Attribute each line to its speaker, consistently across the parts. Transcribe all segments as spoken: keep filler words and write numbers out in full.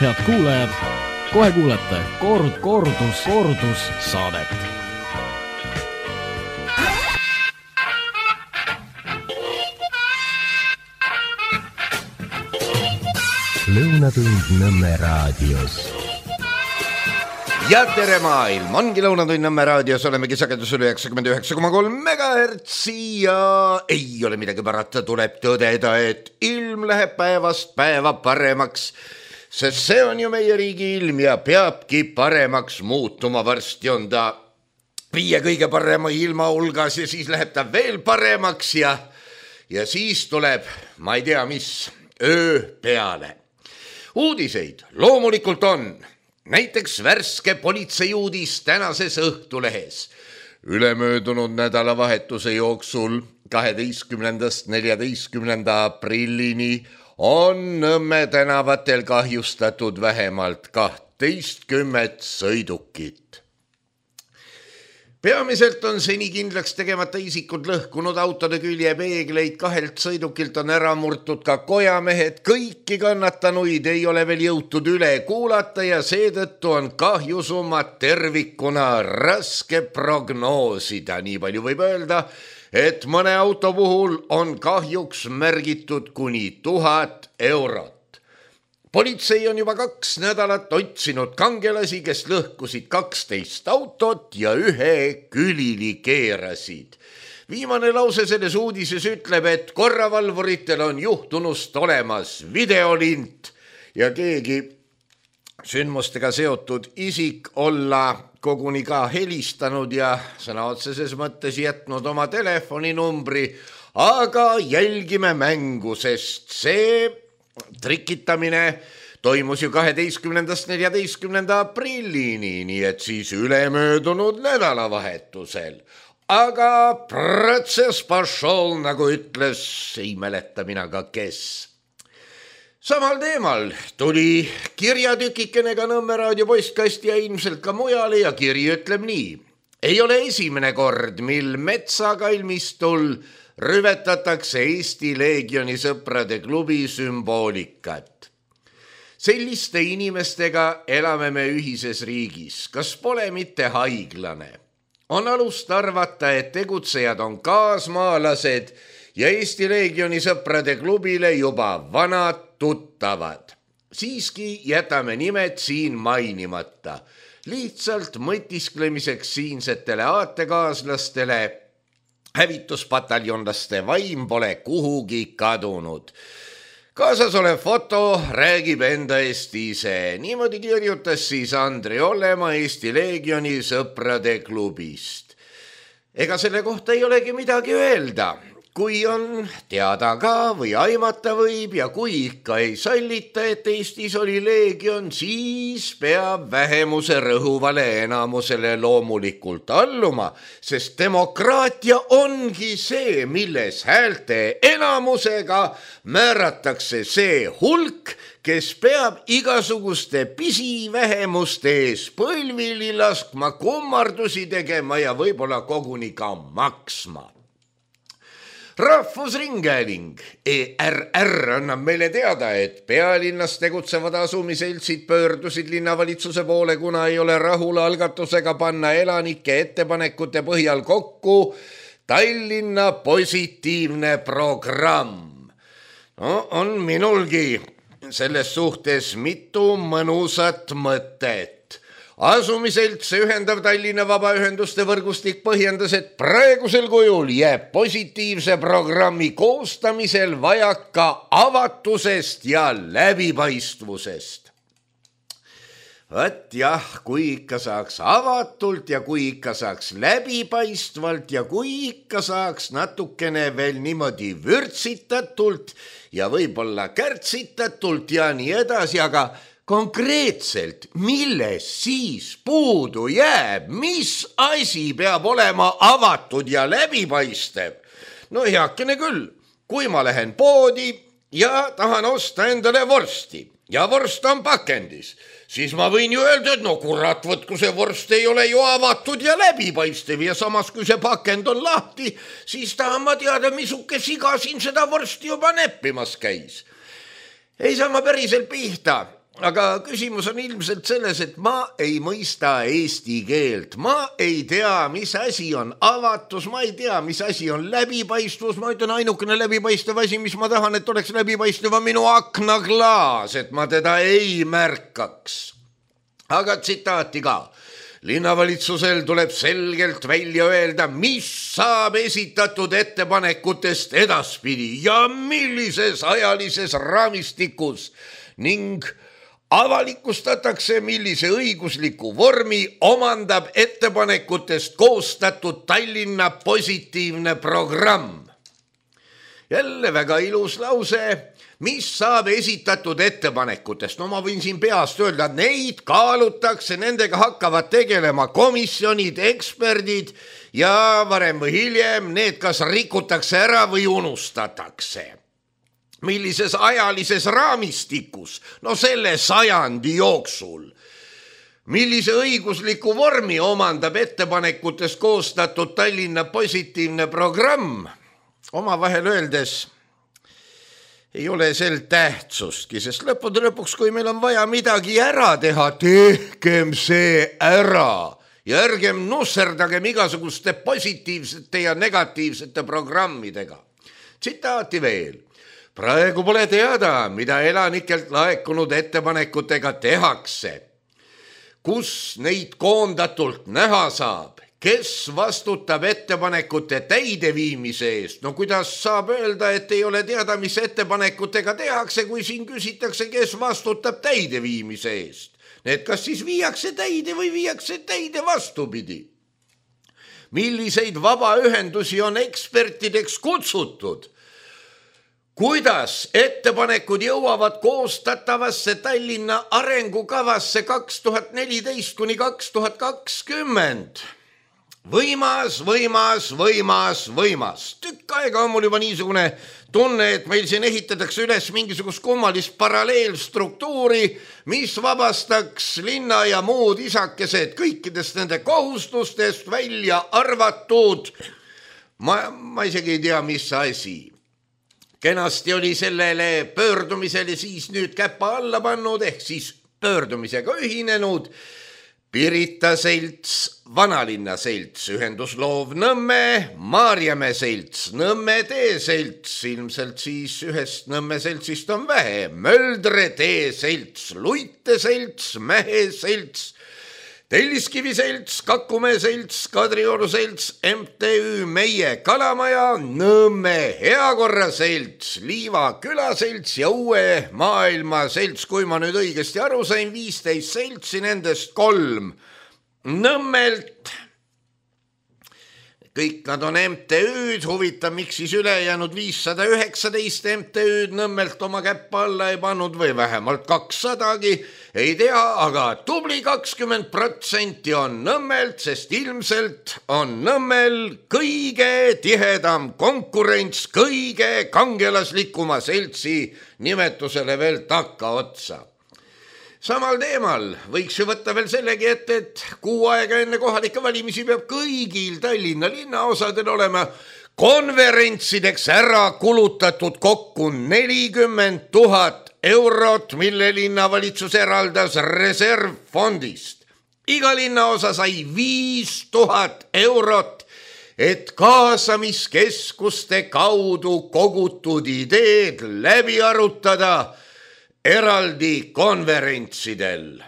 Speaker 1: Head kuulajad, kohe kuulete kord, kordus, kordus saadet.
Speaker 2: Lõunatund Nõmme raadios.
Speaker 3: Ja tere maailm, ongi Lõunatund Nõmme raadios, olemegi sagedusel üheksakümmend üheksa koma kolm megahertsi ja ei ole midagi parata, tuleb tõdeda, et ilm läheb päevast päeva paremaks, sest see on ju meie riigi ilm ja peabki paremaks muutuma. Varsti on ta viie kõige parema ilma hulgas ja siis läheb ta veel paremaks ja, ja siis tuleb, ma ei tea mis, öö peale. Uudiseid loomulikult on. Näiteks värske politseiuudis tänases Õhtulehes. Ülemöödunud nädalavahetuse jooksul kaheteistkümnendast neljateistkümnenda aprillini on Nõmme tänavatel kahjustatud vähemalt kahtteistkümmet sõidukit. Peamiselt on seni kindlaks tegemata isikud lõhkunud autode küljepeegleid, kahelt sõidukilt on ära murtud ka kojamehed, kõiki kannatanuid ei ole veel jõutud üle kuulata ja seetõttu on kahjusummat tervikuna raske prognoosida. Nii palju võib öelda, et mõne auto puhul on kahjuks märgitud kuni tuhat eurot. Politsei on juba kaks nädalat otsinud kangelasi, kes lõhkusid kaksteist autot ja ühe külili keerasid. Viimane lause selles uudises ütleb, et korravalvuritel on juhtunust olemas videolint ja keegi sündmustega seotud isik olla koguni ka helistanud ja sõna otseses mõttes jätnud oma telefoninumbri, aga jälgime mängu, sest see trikitamine toimus ju kaheteistkümnendast neljateistkümnenda aprillini, nii et siis ülemöödunud nädalavahetusel. Aga protsess pašol, nagu ütles, ei mäleta mina ka kes. Samal teemal tuli kirjatükikene ka Nõmme raadio postkasti ja ilmselt ka mujale ja kiri ütleb nii. Ei ole esimene kord, mil metsakalmistul rüvetatakse Eesti Leegioni sõprade klubi sümboolikat. Selliste inimestega elame me ühises riigis. Kas pole mitte haiglane? On alust arvata, et tegutsejad on kaasmaalased ja Eesti Leegioni sõprade klubile juba vanad tuttavad. Siiski jätame nimed siin mainimata. Lihtsalt mõtisklemiseks siinsetele aatekaaslastele hävituspataljonlaste vaim pole kuhugi kadunud. Kaasas olev foto räägib enda eest ise. Niimoodi kirjutas siis Andri Olema Eesti Leegioni sõprade klubist. Ega selle kohta ei olegi midagi öelda. Kui on teada ka või aimata võib ja kui ikka ei sallita, et Eestis oli Leegion, siis peab vähemuse rõhuvale enamusele loomulikult alluma, sest demokraatia ongi see, milles häälte enamusega määratakse see hulk, kes peab igasuguste pisivähemuste ees põlvili laskma, kummardusi tegema ja võib-olla koguni ka maksma. Rahvusringhääling E R R annab meile teada, et pealinnas tegutsevad asumiseltsid pöördusid linnavalitsuse poole, kuna ei ole rahul algatusega panna elanike ettepanekute põhjal kokku Tallinna positiivne programm. No, on minulgi selles suhtes mitu mõnusat mõtet. Asumiselts ühendav Tallinna vabaühenduste võrgustik põhjendas, et praegusel kujul jääb positiivse programmi koostamisel vajaka avatusest ja läbipaistvusest. Võt jah, kui ikka saaks avatult ja kui ikka saaks läbipaistvalt ja kui ikka saaks natukene veel niimoodi vürtsitatult ja võib-olla kärtsitatult ja nii edasi, aga konkreetselt, milles siis puudu jääb, mis asi peab olema avatud ja läbipaistev? No heakene küll, kui ma lähen poodi ja tahan osta endale vorsti ja vorst on pakendis, siis ma võin ju öelda, et no kurat, võt, kui see vorst ei ole ju avatud ja läbipaistev ja samas kui see pakend on lahti, siis tahan ma teada, misuke siga siin seda vorsti juba neppimas käis. Ei saa ma päriselt pihta. aga küsimus on ilmselt selles, et ma ei mõista eesti keelt, ma ei tea, mis asi on avatus, ma ei tea, mis asi on läbipaistvus, ma ütlen ainukene läbipaistev asi, mis ma tahan, et oleks läbipaistev on minu aknaklaas, et ma teda ei märkaks. Aga tsitaati ka. Linnavalitsusel tuleb selgelt välja öelda, mis saab esitatud ettepanekutest edaspidi ja millises ajalises raamistikus ning avalikustatakse, millise õigusliku vormi omandab ettepanekutest koostatud Tallinna positiivne programm. Jälle väga ilus lause, mis saab esitatud ettepanekutest. No ma võin siin peast öelda, neid kaalutakse, nendega hakkavad tegelema komisjonid, eksperdid ja varem või hiljem need kas rikutakse ära või unustatakse. Millises ajalises raamistikus? No selle sajandi jooksul. Millise õigusliku vormi omandab ettepanekutest koostatud Tallinna positiivne programm? Oma vahel öeldes ei ole sel tähtsustki, sest lõppude lõpuks, kui meil on vaja midagi ära teha, tehkem see ära ja ärgem nusserdagem igasuguste positiivsete ja negatiivsete programmidega. Tsitaati veel. Praegu pole teada, mida elanikelt laekunud ettepanekutega tehakse. Kus neid koondatult näha saab? Kes vastutab ettepanekute täideviimise eest? No kuidas saab öelda, et ei ole teada, mis ettepanekutega tehakse, kui siin küsitakse, kes vastutab täideviimise eest? Need kas siis viiakse täide või viiakse täide vastupidi? Milliseid vabaühendusi on ekspertideks kutsutud? Kuidas ettepanekud jõuavad koostatavasse Tallinna arengukavasse kaks tuhat neliteist kuni kaks tuhat kakskümmend? Võimas, võimas, võimas, võimas. Tükk aega on mul juba niisugune tunne, et meil siin ehitatakse üles mingisugust kummalist paralleelstruktuuri, mis vabastaks linna ja muud isakesed kõikidest nende kohustustest välja arvatud. Ma, ma isegi ei tea, mis asi. Kenasti oli sellele pöördumisele siis nüüd käpa alla pannud, ehk siis pöördumisega ühinenud Pirita selts, Vanalinna selts, ühendusloov Nõmme, Maarjamäe selts, Nõmme tee selts, ilmselt siis ühest Nõmme seltsist on vähe, Möldre tee selts, Luite selts, Mähe selts, Telliskivi selts, Kakumäe selts, Kadrioru selts, M T Ü Meie Kalamaja, Nõmme Heakorra selts, Liiva küla selts ja Uue Maailma selts, kui ma nüüd õigesti aru sain, viisteist seltsi, nendest kolm Nõmmelt. Kõik nad on M T Ü-d, huvitav, miks siis ülejäänud viissada üheksateist M T Ü-d Nõmmelt oma käppa alla ei pannud või vähemalt kakssadagi, ei tea, aga tubli kakskümmend protsenti on Nõmmelt, sest ilmselt on Nõmmel kõige tihedam konkurents kõige kangelaslikuma seltsi nimetusele veel takka otsa. Samal teemal võiks ju võtta veel sellegi ette, et kuu aega enne kohalike valimisi peab kõigil Tallinna linnaosadel olema konverentsideks ära kulutatud kokku nelikümmend tuhat eurot, mille linnavalitsus eraldas reservfondist. Iga linnaosa sai viis tuhat eurot, et kaasamiskeskuste kaudu kogutud ideed läbi arutada eraldi konverentsidel.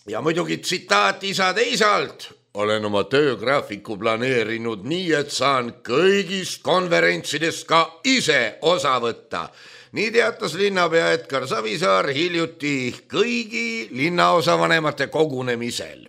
Speaker 3: Ja muidugi tsitaat isa teisalt. Olen oma töögraafiku planeerinud nii, et saan kõigist konverentsidest ka ise osa võtta. Nii teatas linnapea Edgar Savisaar hiljuti kõigi linnaosavanemate kogunemisel.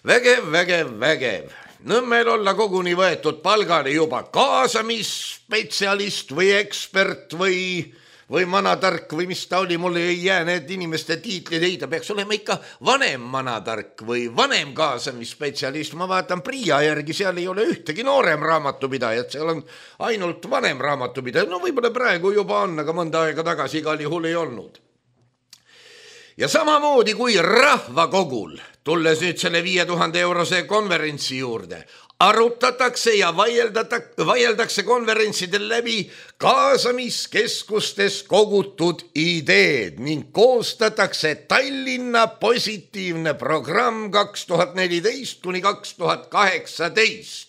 Speaker 3: Vägev, vägev, vägev. Nõmmel olla koguni võetud palgale juba kaasamisspetsialist või ekspert või... või manatark või mis ta oli, mulle ei jää need inimeste tiitlid ei, ta peaks olema ikka vanem manatark või vanem kaasamisspetsialist. Ma vaatan Priia järgi, seal ei ole ühtegi noorem raamatupidajat, seal on ainult vanem raamatupidajat. No võib-olla praegu juba on, aga mõnda aega tagasi igal juhul ei olnud. Ja samamoodi kui rahvakogul, tulles nüüd selle viie tuhande eurose konverentsi juurde, arutatakse ja vaieldakse konverentsidel läbi kaasamiskeskustes kogutud ideed ning koostatakse Tallinna positiivne programm kaks tuhat neliteist kuni kaks tuhat kaheksateist.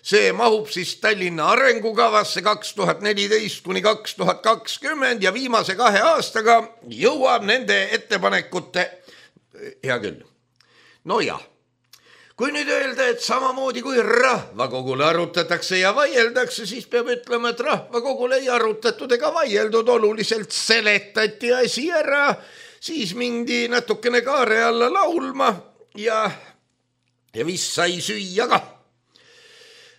Speaker 3: See mahub siis Tallinna arengukavasse kaks tuhat neliteist kuni kaks tuhat kakskümmend ja viimase kahe aastaga jõuab nende ettepanekute, hea küll, no jah. Kui nüüd öelda, et samamoodi kui rahvakogule arutatakse ja vaieldakse, siis peab ütlema, et rahvakogule ei arutatud ega vaieldud, oluliselt seletati asi ära, siis mindi natukene kaare alla laulma ja, ja vist sai süüa ka.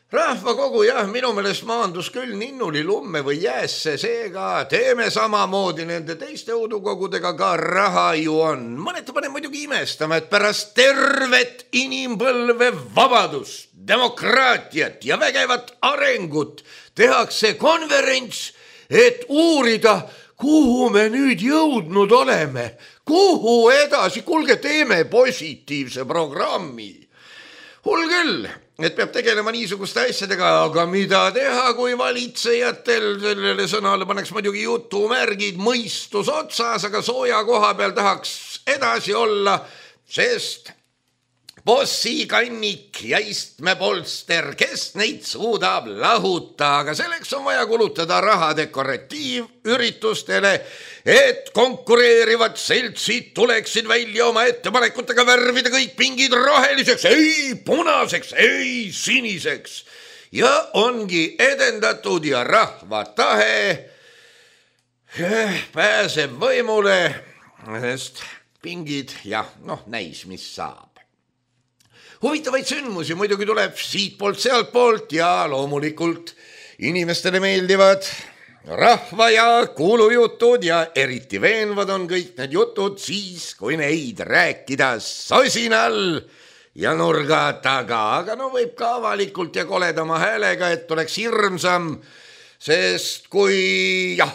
Speaker 3: Rahvakogu jah, minu meelest maandus küll ninnuli lumme või jäässe, seega teeme samamoodi nende teiste udukogudega, ka raha ju on. Mõneta panen muidugi imestama, et pärast tervet inimpõlve vabadust, demokraatiat ja vägevat arengut tehakse konverents, et uurida, kuhu me nüüd jõudnud oleme, kuhu edasi, kuulge, teeme positiivse programmi. Hull küll, et peab tegelema niisuguste asjadega, aga mida teha, kui valitsejatel sellele sõnale paneks muidugi jutumärgid mõistus otsas, aga sooja koha peal tahaks edasi olla, sest bossikannik ja istmepolster, kes neid suudab lahuta, aga selleks on vaja kulutada raha dekoratiivüritustele, et konkureerivad seltsid tuleksid välja oma ettepanekutega värvida kõik pingid roheliseks, ei punaseks, ei siniseks. Ja ongi edendatud ja rahva tahe pääseb võimule, sest pingid, jah, noh, näis, mis saab. Huvitavaid sündmusi muidugi tuleb siit poolt, sealt poolt ja loomulikult inimestele meeldivad rahva ja kuulujutud ja eriti veenvad on kõik need jutud siis, kui neid rääkida sosinal ja nurga taga, aga no võib ka avalikult ja koledama häälega, et oleks hirmsam, sest kui jah,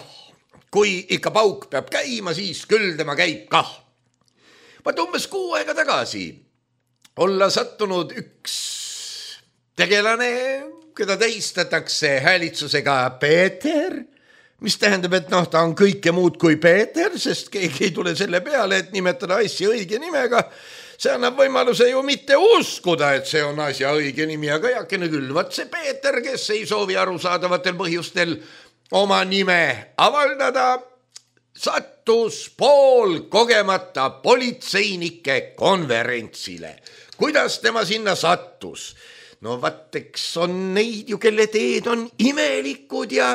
Speaker 3: kui ikka pauk peab käima, siis küll tema käib kah. Vaat umbes kuu aega tagasi olla sattunud üks tegelane, keda tähistatakse häälitsusega Peeter, mis tähendab, et noh, ta on kõike muud kui Peeter, sest keegi ei tule selle peale, et nimetada asja õige nimega. See annab võimaluse ju mitte uskuda, et see on asja õige nimi, aga jakene küll, vaat see Peeter, kes ei soovi arusaadavatel põhjustel oma nime avaldada, sattus pool kogemata politseinike konverentsile. Kuidas tema sinna sattus? No vatteks on neid ju, kelle teed on imelikud ja,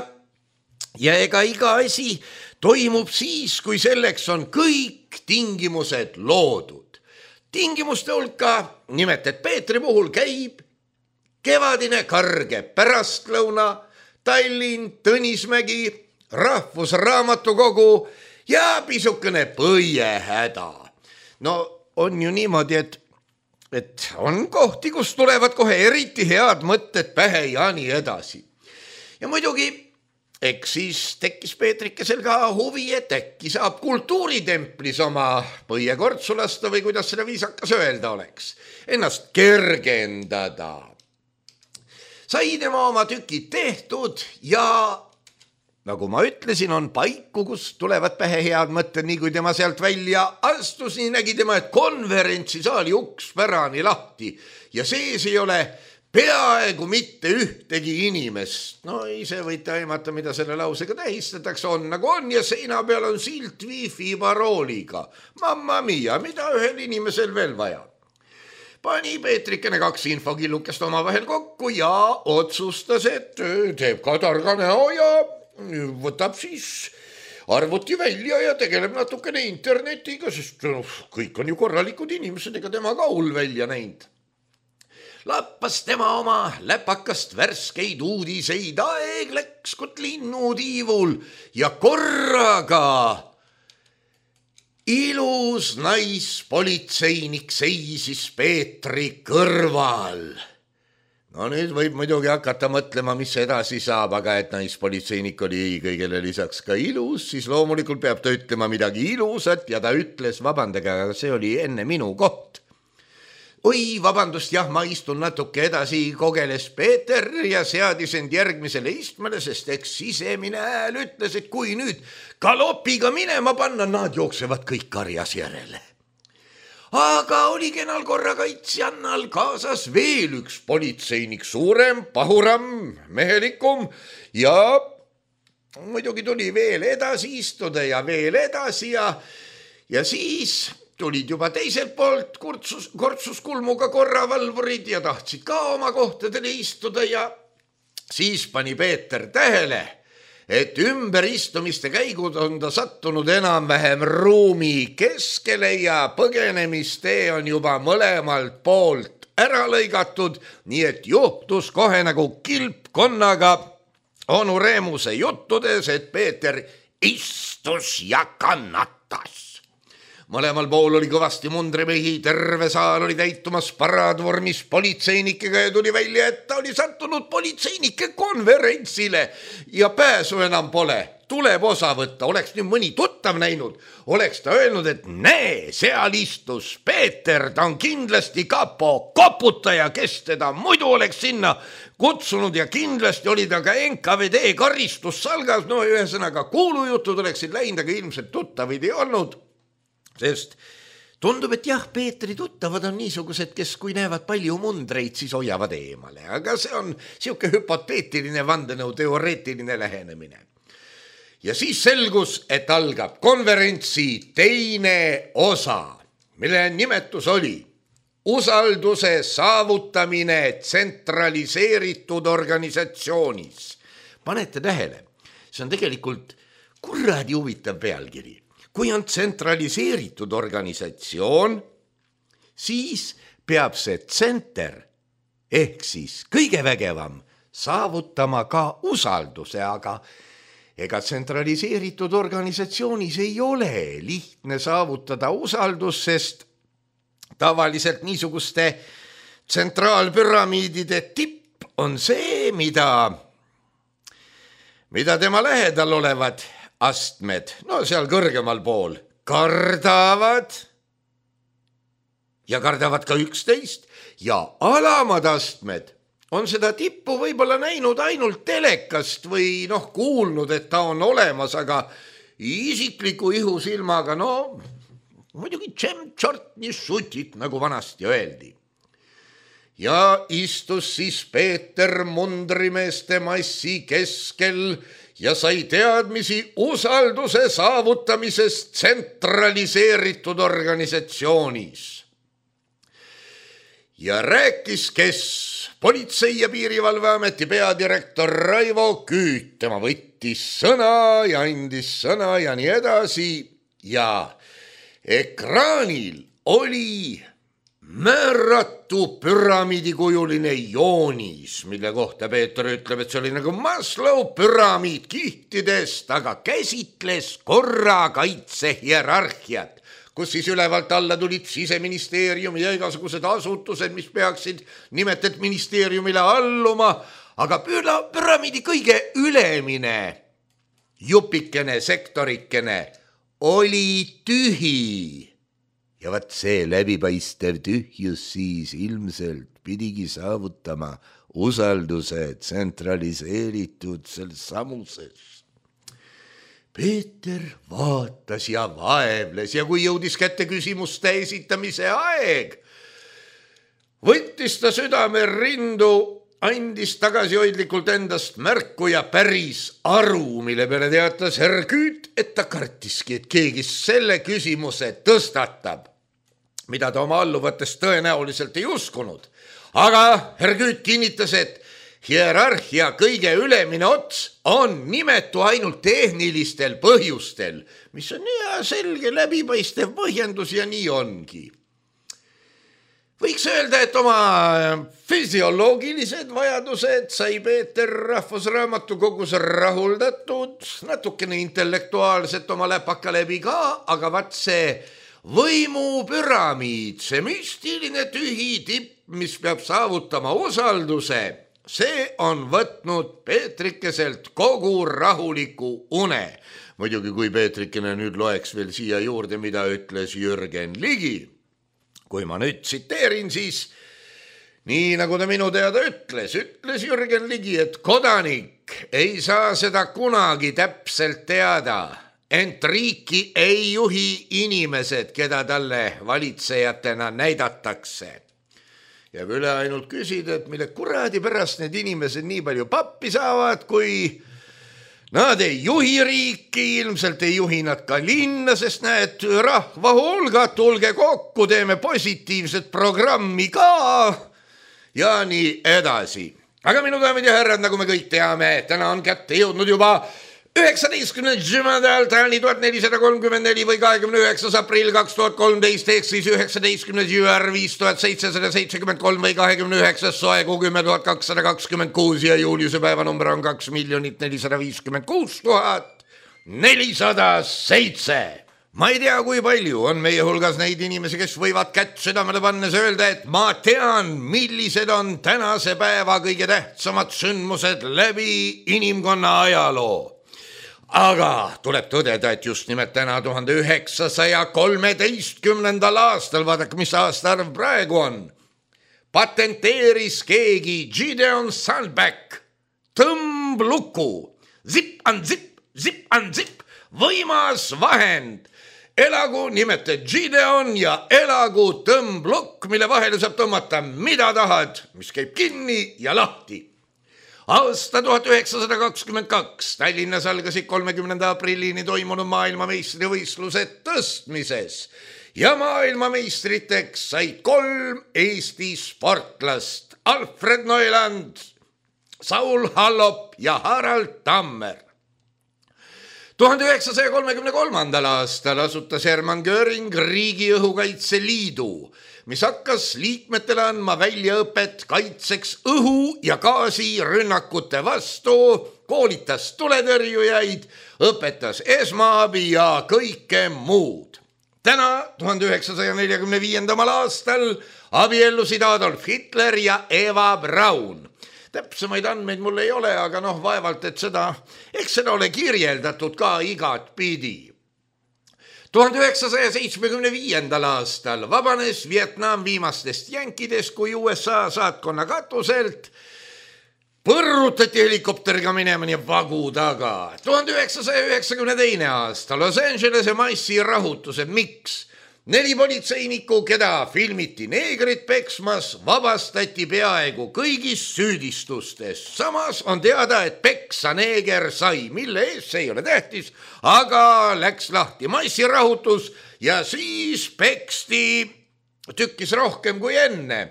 Speaker 3: ja ega iga asi toimub siis, kui selleks on kõik tingimused loodud. Tingimuste hulka nimelt, et Peetri puhul käib kevadine karge pärastlõuna, Tallinn, Tõnismägi, Rahvusraamatukogu ja pisukene põiehäda. No on ju niimoodi, et, et on kohti, kus tulevad kohe eriti head mõtted pähe ja nii edasi. Ja muidugi, eks siis tekkis Peetrikesel ka huvi, et äkki saab kultuuritemplis oma põiekortsu lasta või kuidas seda viisakas öelda oleks, ennast kergendada. Sai tema oma tükid tehtud ja nagu ma ütlesin, on paiku, kus tulevad pähe head mõtted, nii kui tema sealt välja astus, nii nägi tema, et konverentsisaali uks pärani lahti ja sees ei ole peaaegu mitte ühtegi inimest. No ise võite aimata, mida selle lausega tähistatakse, on nagu on ja seina peal on silt wifi parooliga. Mamma mia, mida ühel inimesel veel vaja? Pani Peetrikene kaks infokillukest oma vahel kokku ja otsustas, et teeb ka targa näo ja võtab siis arvuti välja ja tegeleb natukene internetiga, sest no, kõik on ju korralikud inimesed, ega tema ka hull välja näinud. Lappas tema oma läpakast värskeid uudiseid, aeg läks kot linnutiivul ja korraga ilus naispolitseinik seisis Peetri kõrval. No nüüd võib muidugi hakata mõtlema, mis edasi saab, aga et naispolitseinik oli kõigele lisaks ka ilus, siis loomulikult peab ta ütlema midagi ilusat ja ta ütles, vabandage, aga see oli enne minu koht. oi, vabandust, jah, ma istun natuke edasi, kogeles Peeter ja seadis end järgmisele istmele, sest eks sisemine hääl ütles, et kui nüüd galopiga minema panna, nad jooksevad kõik karjas järele. Aga oli kenal korrakaitsjannal kaasas veel üks politseinik, suurem, pahuram, mehelikum ja muidugi tuli veel edasi istuda ja veel edasi ja, ja siis tulid juba teiselt poolt kurtsus, kortsus kulmuga korravalvurid ja tahtsid ka oma kohtadele istuda ja siis pani Peeter tähele, et ümberistumiste käigud on ta sattunud enam-vähem ruumi keskele ja põgenemistee on juba mõlemalt poolt ära lõigatud, nii et juhtus kohe nagu kilpkonnaga onu Reemuse juttudes, et Peeter istus ja kannatas. Mõlemal pool oli kõvasti mundrimehi, terve saal oli täitumas paradvormis politseinikega ja tuli välja, et ta oli sattunud politseinike konverentsile ja pääsu enam pole. Tuleb osa võtta, oleks nüüd mõni tuttav näinud, oleks ta öelnud, et näe, seal istus Peeter, ta on kindlasti kapo koputaja, kes teda muidu oleks sinna kutsunud ja kindlasti oli ta ka N K V D karistussalgas, no ühesõnaga kuulujutud oleksid läinud, aga ilmselt tuttavaid ei olnud. Sest tundub, et jah, Peetri tuttavad on niisugused, kes kui näevad palju mundreid, siis hoiavad eemale. Aga see on siuke hüpoteetiline vandenõu, teoreetiline lähenemine. Ja siis selgus, et algab konverentsi teine osa, mille nimetus oli usalduse saavutamine tsentraliseeritud organisatsioonis. Panete tähele, see on tegelikult kuradi huvitav pealkiri. Kui on tsentraliseeritud organisatsioon, siis peab see tsenter ehk siis kõige vägevam saavutama ka usalduse, aga ega tsentraliseeritud organisatsioonis ei ole lihtne saavutada usaldus, sest tavaliselt niisuguste tsentraalpüramiidide tipp on see, mida, mida tema lähedal olevad astmed, no seal kõrgemal pool, kardavad ja kardavad ka üksteist ja alamad astmed on seda tippu võib-olla näinud ainult telekast või noh, kuulnud, et ta on olemas, aga isikliku ihusilmaga, no muidugi tšem-tšort nii šutit, nagu vanasti öeldi. Ja istus siis Peeter mundrimeeste massi keskel ja sai teadmisi usalduse saavutamisest tsentraliseeritud organisatsioonis. Ja rääkis, kes politsei- ja piirivalveameti peadirektor Raivo Küüt, tema võttis sõna ja andis sõna ja nii edasi ja ekraanil oli määratu püramiidikujuline joonis, mille kohta Peeter ütleb, et see oli nagu Maslow püramiid kihtidest, aga käsitles korrakaitse hierarhiat, kus siis ülevalt alla tulid Siseministeerium ja igasugused asutused, mis peaksid nimetet ministeeriumile alluma, aga püramiidi kõige ülemine jupikene, sektorikene oli tühi. Ja vaat see läbipaistev tühjus siis ilmselt pidigi saavutama usalduse tsentraliseeritud selles samuses. Peeter vaatas ja vaevles ja kui jõudis kätte küsimuste esitamise aeg, võttis ta südame rindu, andis tagasihoidlikult endast märku ja päris aru, mille peale teatas herr Küüt, et ta kartiski, et keegi selle küsimuse tõstatab, mida ta oma alluvatest tõenäoliselt ei uskunud. Aga herr Küüt kinnitas, et hierarhia kõige ülemine ots on nimetu ainult tehnilistel põhjustel, mis on hea selge läbipaistev põhjendus ja nii ongi. Võiks öelda, et oma füsioloogilised vajadused sai Peeter Rahvusraamatukogus rahuldatud, natukene intellektuaalselt oma läpaka läbi ka, aga vaat see võimupüramiid, see müstiline tühi tipp, mis peab saavutama usalduse, see on võtnud Peetrikeselt kogu rahuliku une. Muidugi, kui Peetrikene nüüd loeks veel siia juurde, mida ütles Jürgen Ligi. kui ma nüüd tsiteerin, siis nii nagu ta minu teada ütles, ütles Jürgen Ligi, et kodanik ei saa seda kunagi täpselt teada, ent riiki ei juhi inimesed, keda talle valitsejatena näidatakse. Jääb üle ainult küsida, et mille kuradi pärast need inimesed nii palju pappi saavad, kui nad ei juhi riiki, ilmselt ei juhi nad ka linna, sest näed, rahva hulgad, tulge kokku, teeme positiivset programmi ka ja nii edasi. Aga minu daamid ja härrad, nagu me kõik teame, täna on kätte jõudnud juba üheksateistkümnes jümedal tääni tuhat nelisada kolmkümmend neli või kahekümne üheksas aprill kaks tuhat kolmteist ehk siis üheksateistkümnes jüär viis tuhat seitsesada seitsekümmend kolm või kahekümne üheksas soe kuu kümme tuhat kakssada kakskümmend kuus ja juuliuse päevanumber on kaks miljonit nelisada viiskümmend kuus tuhat nelisada seitse. Ma ei tea, kui palju on meie hulgas neid inimesi, kes võivad kätt südamele pannes öelda, et ma tean, millised on tänase päeva kõige tähtsamad sündmused läbi inimkonna ajaloo. Aga tuleb tõdeda, et just nimelt täna tuhande üheksasaja kolmeteistkümnendal aastal, vaadake, mis aastaarv praegu on, patenteeris keegi Gideon Sandback tõmbluku, zip on zip, zip on zip, võimas vahend. Elagu nimete Gideon ja elagu tõmblukk, mille vahele saab tõmmata mida tahad, mis käib kinni ja lahti. Aasta tuhat üheksasada kakskümmend kaks Tallinnas algasid kolmekümnenda aprillini toimunud maailmameistrivõistlused tõstmises ja maailmameistriteks said kolm Eesti sportlast Alfred Neuland, Saul Hallop ja Harald Tammer. tuhande üheksasaja kolmekümne kolmandal aastal asutas Hermann Göring Riigi Õhukaitse Liidu, mis hakkas liikmetele andma väljaõpet kaitseks õhu- ja gaasirünnakute vastu, koolitas tuletõrjujaid, õpetas esmaabi ja kõike muud. Täna, tuhande üheksasaja neljakümne viiendal aastal, abiellusid Adolf Hitler ja Eva Braun. Täpsemaid andmeid mul ei ole, aga noh, vaevalt, et seda, eks seda ole kirjeldatud ka igat pidi. tuhande üheksasaja seitsmekümne viiendal aastal vabanes Vietnam viimastest jänkidest, kui U S A saatkonna katuselt põrrutati helikopteriga minema nii vagu taga. tuhande üheksasaja üheksakümne teine aasta Los Angelese massirahutused, miks? Neli politseinikku, keda filmiti neegrit peksmas, vabastati peaaegu kõigist süüdistustest. Samas on teada, et peksa neeger sai, mille eest see ei ole tähtis, aga läks lahti massirahutus ja siis peksti tükkis rohkem kui enne,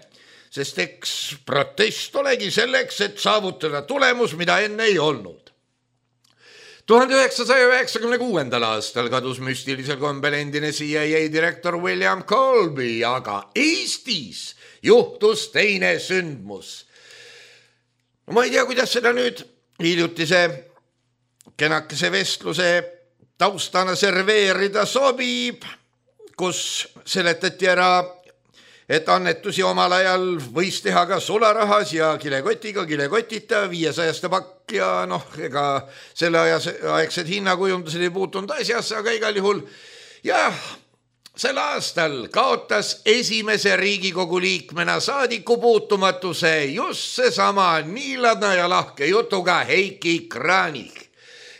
Speaker 3: sest eks protest olegi selleks, et saavutada tulemus, mida enne ei olnud. tuhande üheksasaja üheksakümne kuuendal aastal kadus müstilisel kombel endine C I A direktor William Colby, aga Eestis juhtus teine sündmus. Ma ei tea, kuidas seda nüüd hiljutise kenakese vestluse taustana serveerida sobib, kus seletati ära, et annetusi omal ajal võis teha ka sularahas ja kilekotiga, kilekotita, viiesajaste pakk ja noh, ega selle aegsed hinnakujundused ei puutunud asjasse, aga igal juhul jah, sel aastal kaotas esimese Riigikogu liikmena saadiku puutumatuse just seesama niiladna ja lahke jutuga Heiki Kranich,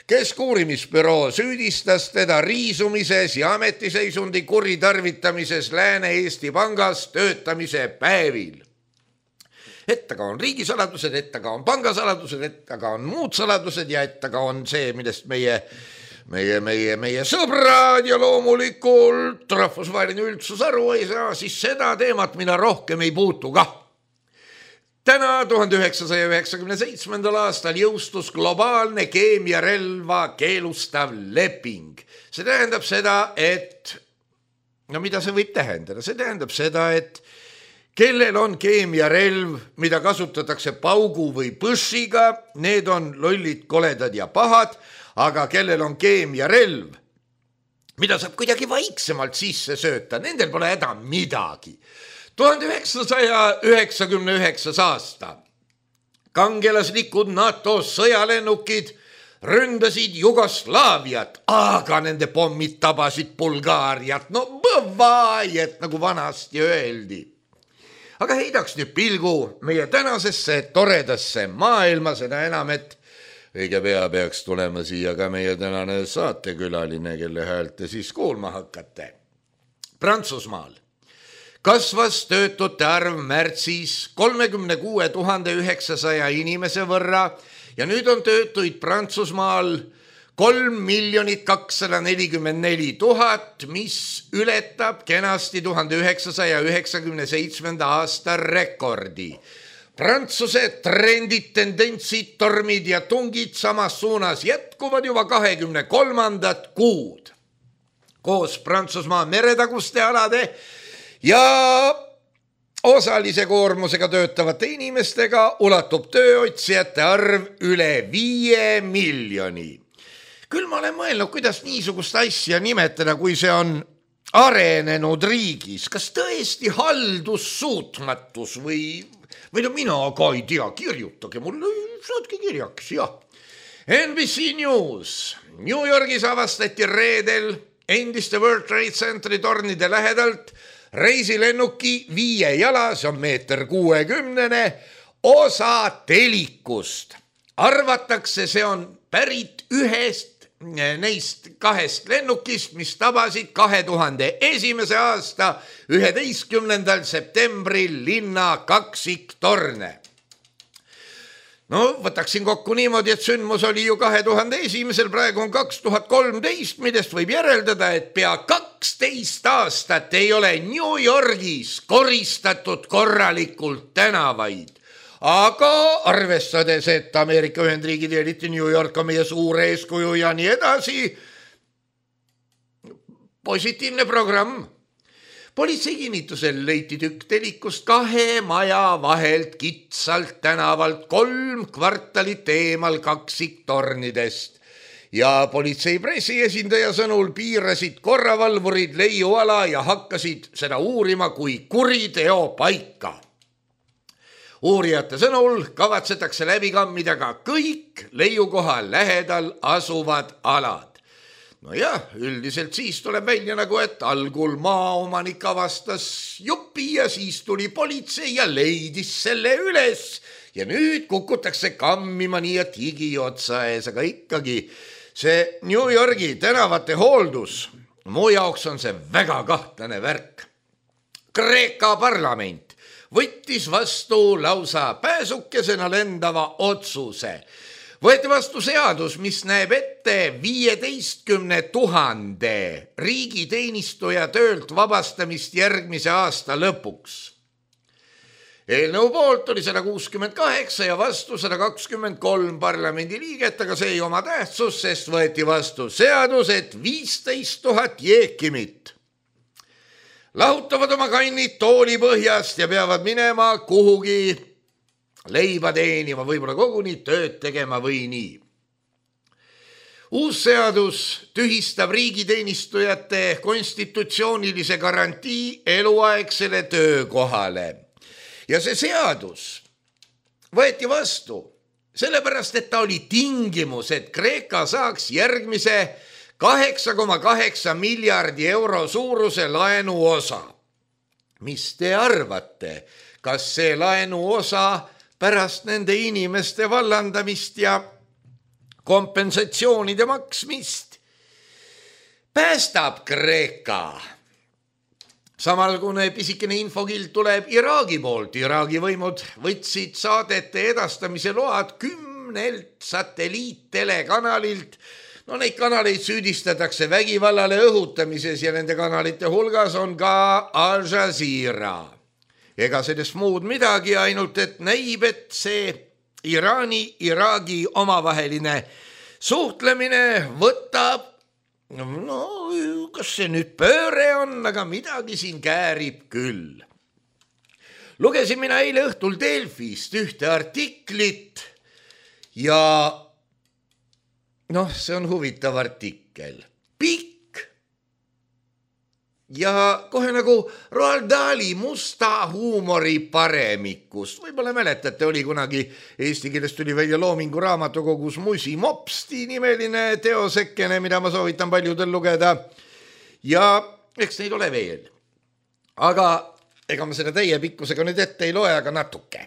Speaker 3: kes uurimisbüroo süüdistas teda riisumises ja ametiseisundi kuritarvitamises Lääne-Eesti Pangas töötamise päevil. Et taga on riigisaladused, et taga on pangasaladused, et taga on muud saladused ja et taga on see, millest meie, meie, meie, meie sõbrad ja loomulikult rahvusvaheline üldsus aru ei saa, siis seda teemat mina rohkem ei puutu ka. Täna tuhande üheksasaja üheksakümne seitsmendal aastal jõustus globaalne keemiarelva keelustav leping. See tähendab seda, et, no mida see võib tähendada? See tähendab seda, et kellel on keemiarelv, mida kasutatakse paugu või põssiga, need on lollid, koledad ja pahad, aga kellel on keemiarelv, mida saab kuidagi vaiksemalt sisse sööta, nendel pole häda midagi. tuhande üheksasaja üheksakümne üheksas aasta kangelaslikud NATO sõjalennukid ründasid Jugoslaaviat, aga nende pommid tabasid Bulgaariat. No bõvaid, nagu vanasti öeldi. Aga heidaks nüüd pilgu meie tänasesse toredasse maailma, seda enam, et õige pea peaks tulema siia ka meie tänane saatekülaline, kelle häält te siis kuulma hakkate. Prantsusmaal kasvas töötute arv märtsis kolmekümne kuue tuhande üheksasaja inimese võrra ja nüüd on töötuid Prantsusmaal kolm miljonit kakssada nelikümmend neli tuhat, mis ületab kenasti tuhande üheksasaja üheksakümne seitsmenda aasta rekordi. Prantsuse trendid, tendentsid, tormid ja tungid samas suunas jätkuvad juba kahekümne kolmandat kuud. Koos Prantsusmaa meretaguste alade ja osalise koormusega töötavate inimestega ulatub tööotsijate arv üle viie miljoni. Küll ma olen mõelnud, kuidas niisugust asja nimetada, kui see on arenenud riigis. Kas tõesti haldussuutmatus või, või no mina ka ei tea, kirjutage mulle, saatke kirjaks, jah. N B C News. New Yorgis avastati reedel endiste World Trade Centeri tornide lähedalt reisilennuki viie jala, see on meeter kuuekümnene, osa telikust. Arvatakse, see on pärit ühest neist kahest lennukist, mis tabasid kahe tuhande esimese aasta üheteistkümnendal septembril linna kaksiktorne. No võtaksin kokku niimoodi, et sündmus oli ju kahe tuhande esimesel, praegu on kaks tuhat kolmteist, millest võib järeldada, et pea kaksteist aastat ei ole New Yorgis koristatud korralikult tänavaid. Aga arvestades, et Ameerika Ühendriigid ja eriti New York on meie suur eeskuju ja nii edasi, positiivne programm. Politsei kinnitusel leiti tükk telikust kahe maja vahelt kitsalt tänavalt kolm kvartalit eemal kaksiktornidest. Ja politsei pressiesindaja sõnul piirasid korravalvurid leiuala ja hakkasid seda uurima kui kuriteo paika. Uurijate sõnul kavatsetakse läbi kammida ka kõik leiukoha lähedal asuvad alad. No jah, üldiselt siis tuleb välja nagu, et algul maaomanik avastas jupi ja siis tuli politsei ja leidis selle üles. Ja nüüd kukutakse kammima nii, et higi otsa ees, aga ikkagi see New Yorgi tänavate hooldus, mu jaoks on see väga kahtlane värk. Kreeka parlament võttis vastu lausa pääsukesena lendava otsuse. Võeti vastu seadus, mis näeb ette viieteistkümne tuhande riigiteenistuja töölt vabastamist järgmise aasta lõpuks. Eelnõu poolt oli sada kuuskümmend kaheksa ja vastu sada kakskümmend kolm parlamendi liiget, aga see ei oma tähtsus, sest võeti vastu seadus, et viisteist tuhat jeekimit lahutavad oma kannid tooli põhjast ja peavad minema kuhugi leiba teenima, võib-olla koguni tööd tegema või nii. Uus seadus tühistab riigiteenistujate konstitutsioonilise garantii eluaegsele töökohale. Ja see seadus võeti vastu sellepärast, et ta oli tingimus, et Kreeka saaks järgmise kaheksa koma kaheksa miljardi euro suuruse laenu osa. Mis te arvate, kas see laenu osa pärast nende inimeste vallandamist ja kompensatsioonide maksmist päästab Kreeka? Samalgune pisikene infokild tuleb Iraagi poolt. Iraagi võimud võtsid saadete edastamise load kümnelt satelliittelekanalilt. No neid kanaleid süüdistatakse vägivallale õhutamises ja nende kanalite hulgas on ka Al Jazeera. Ega sellest muud midagi, ainult et näib, et see Iraani-Iraagi omavaheline suhtlemine võtab, no kas see nüüd pööre on, aga midagi siin käärib küll. Lugesin mina eile õhtul Delfist ühte artiklit ja noh, see on huvitav artikkel. Pikk, ja kohe nagu Roald Dahli musta huumori paremikust. Võib-olla mäletate, oli kunagi eesti keeles tuli välja Loomingu raamatukogus Musi Mopsti nimeline teosekene, mida ma soovitan paljudel lugeda. Ja eks neid ole veel. Aga ega ma seda täie pikkusega nüüd ette ei loe, aga natuke.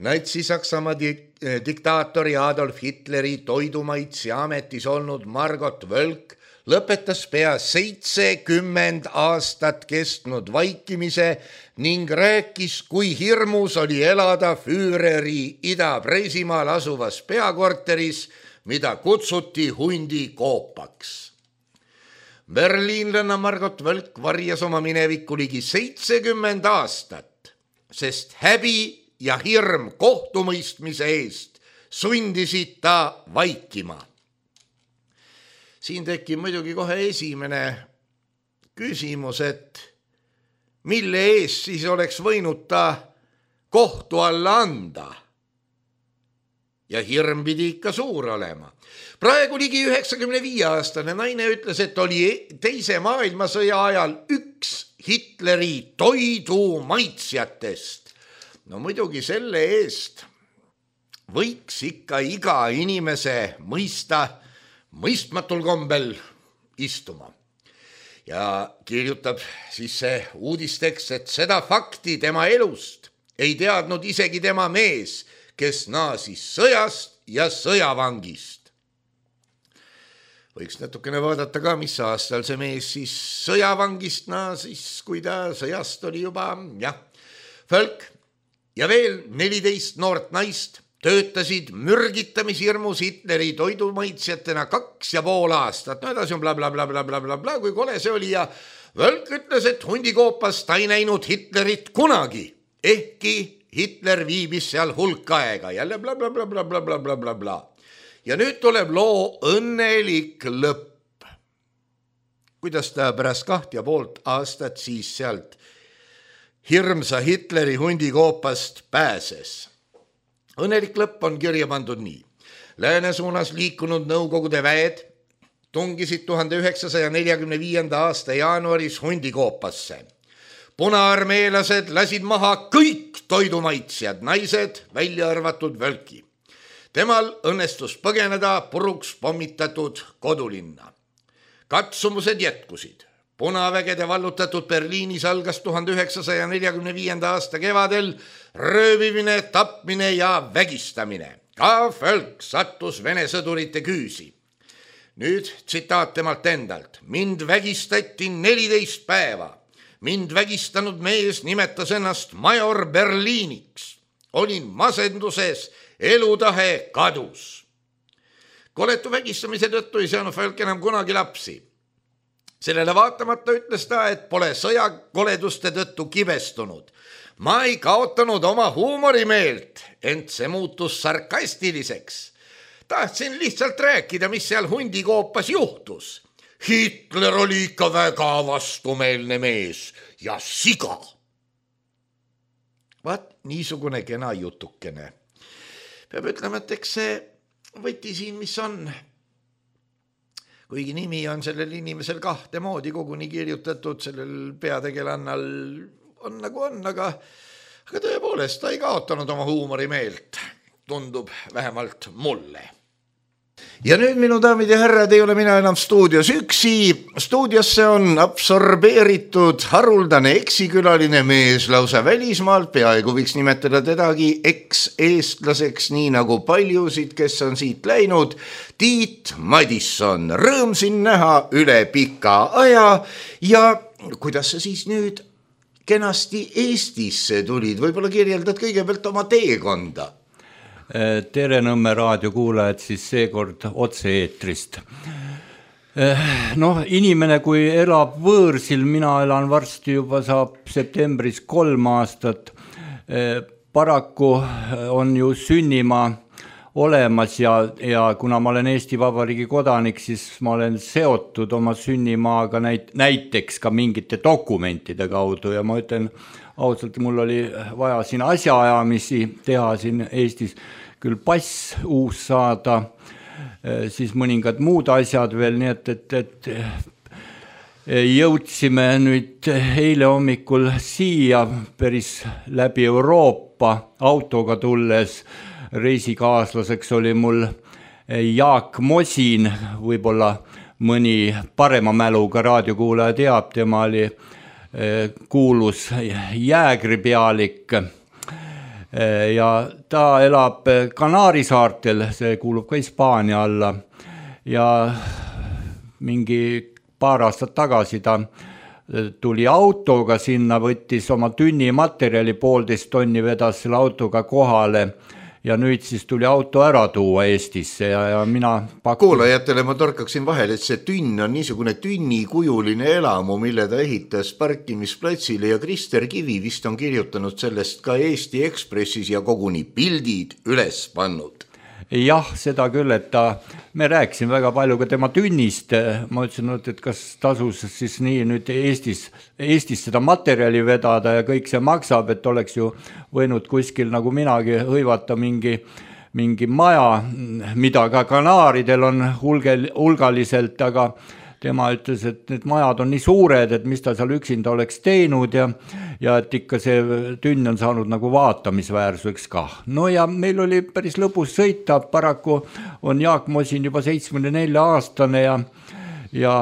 Speaker 3: Natsi-Saksamaa dik- diktaatori Adolf Hitleri toidumaitsi ametis olnud Margot Völk lõpetas pea seitsekümmend aastat kestnud vaikimise ning rääkis, kui hirmus oli elada Füüreri Ida-Preisimaal asuvas peakorteris, mida kutsuti hundi koopaks. Berliinlanna Margot Völk varjas oma minevikku ligi seitsekümmend aastat, sest häbi ja hirm kohtumõistmise eest sundisid ta vaikima. Siin tekib muidugi kohe esimene küsimus, et mille eest siis oleks võinud ta kohtu alla anda? Ja hirm pidi ikka suur olema. Praegu ligi üheksakümne viie aastane naine ütles, et oli teise maailmasõja ajal üks Hitleri toidumaitsjatest. No muidugi selle eest võiks ikka iga inimese mõista mõistmatul kombel istuma. Ja kirjutab siis see uudistekst, et seda fakti tema elust ei teadnud isegi tema mees, kes naasis sõjast ja sõjavangist. Võiks natukene vaadata ka, mis aastal see mees siis sõjavangist naasis, kui ta sõjast oli juba, jah, Völk ja veel neliteist noort naist töötasid mürgitamishirmus Hitleri toidumaitsjatena kaks ja pool aastat. No edasi on bla bla bla bla bla bla bla, kui kole see oli ja Völk ütles, et hundikoopas ta ei näinud Hitlerit kunagi, ehkki Hitler viibis seal hulk aega. Jälle bla bla bla bla bla bla bla bla bla. Ja nüüd tuleb loo õnnelik lõpp. Kuidas ta pärast kaht ja poolt aastat siis sealt hirmsa Hitleri hundikoopast pääses? Õnnelik lõpp on kirja pandud nii. Lääne suunas liikunud Nõukogude väed tungisid tuhande üheksasaja neljakümne viienda aasta jaanuaris hundikoopasse. Punaarmeelased lasid maha kõik toidumaitsjad, naised välja arvatud Völki. Temal õnnestus põgeneda puruks pommitatud kodulinna. Katsumused jätkusid. Punavägede vallutatud Berliinis algas tuhande üheksasaja neljakümne viienda aasta kevadel röövimine, tapmine ja vägistamine. Ka Völk sattus Vene sõdurite küüsi. Nüüd tsitaat temalt endalt. Mind vägistati neliteist päeva. Mind vägistanud mees nimetas ennast major Berliiniks. Olin masenduses, elutahe kadus. Koletu vägistamise tõttu ei saanud Völk enam kunagi lapsi. Sellele vaatamata ütles ta, et pole sõjakoleduste tõttu kibestunud. Ma ei kaotanud oma huumorimeelt, ent see muutus sarkastiliseks. Tahtsin lihtsalt rääkida, mis seal hundikoopas juhtus. Hitler oli ikka väga vastumeelne mees ja siga. Vaat niisugune kena jutukene. Peab ütlema, et eks see võti siin, mis on. Kuigi nimi on sellel inimesel kahte moodi koguni kirjutatud, sellel peategelannal on nagu on, aga, aga tõepoolest ta ei kaotanud oma huumorimeelt. Tundub vähemalt mulle. Ja nüüd, minu daamid ja härrad, ei ole mina enam stuudios üksi. Stuudiosse on absorbeeritud haruldane eksikülaline mees lausa välismaalt, peaaegu võiks nimetada tedagi eks-eestlaseks, nii nagu paljusid, kes on siit läinud. Tiit Madisson, rõõm siin näha üle pika aja ja kuidas sa siis nüüd kenasti Eestisse tulid? Võib-olla kirjeldad kõigepealt oma teekonda.
Speaker 4: Tere Nõmme raadiokuulajad siis seekord otse-eetrist. Noh, inimene, kui elab võõrsil, mina elan varsti juba saab septembris kolm aastat, paraku on ju sünnimaa olemas ja, ja kuna ma olen Eesti Vabariigi kodanik, siis ma olen seotud oma sünnimaaga näit, näiteks ka mingite dokumentide kaudu ja ma ütlen ausalt, mul oli vaja siin asjaajamisi teha siin Eestis, küll pass uus saada, siis mõningad muud asjad veel, nii et, et, et jõudsime nüüd eile hommikul siia päris läbi Euroopa autoga tulles. Reisikaaslaseks oli mul Jaak Mosin, võib-olla mõni parema mäluga raadiokuulaja teab, tema oli kuulus jäägripealik ja ta elab Kanaari saartel, see kuulub ka Hispaania alla ja mingi paar aastat tagasi ta tuli autoga sinna, võttis oma tünni materjali, poolteist tonni vedas selle autoga kohale ja nüüd siis tuli auto ära tuua Eestisse ja, ja mina pakun...
Speaker 3: Kuulajatele ma torkaksin vahel, et see tünn on niisugune tünnikujuline elamu, mille ta ehitas parkimisplatsile ja Krister Kivi vist on kirjutanud sellest ka Eesti Ekspressis ja koguni pildid üles pannud.
Speaker 4: Jah, seda küll, et ta, me rääkisin väga palju ka tema tünnist, ma ütlesin, et kas tasus siis nii nüüd Eestis, Eestis seda materjali vedada ja kõik see maksab, et oleks ju võinud kuskil nagu minagi hõivata mingi, mingi maja, mida ka Kanaaridel on hulgel, hulgaliselt, aga tema ütles, et need majad on nii suured, et mis ta seal üksinda oleks teinud ja, ja et ikka see tünn on saanud nagu vaatamisväärsuseks ka. No ja meil oli päris lõbus sõita, paraku on Jaak Mosin juba seitsmekümne nelja aastane ja, ja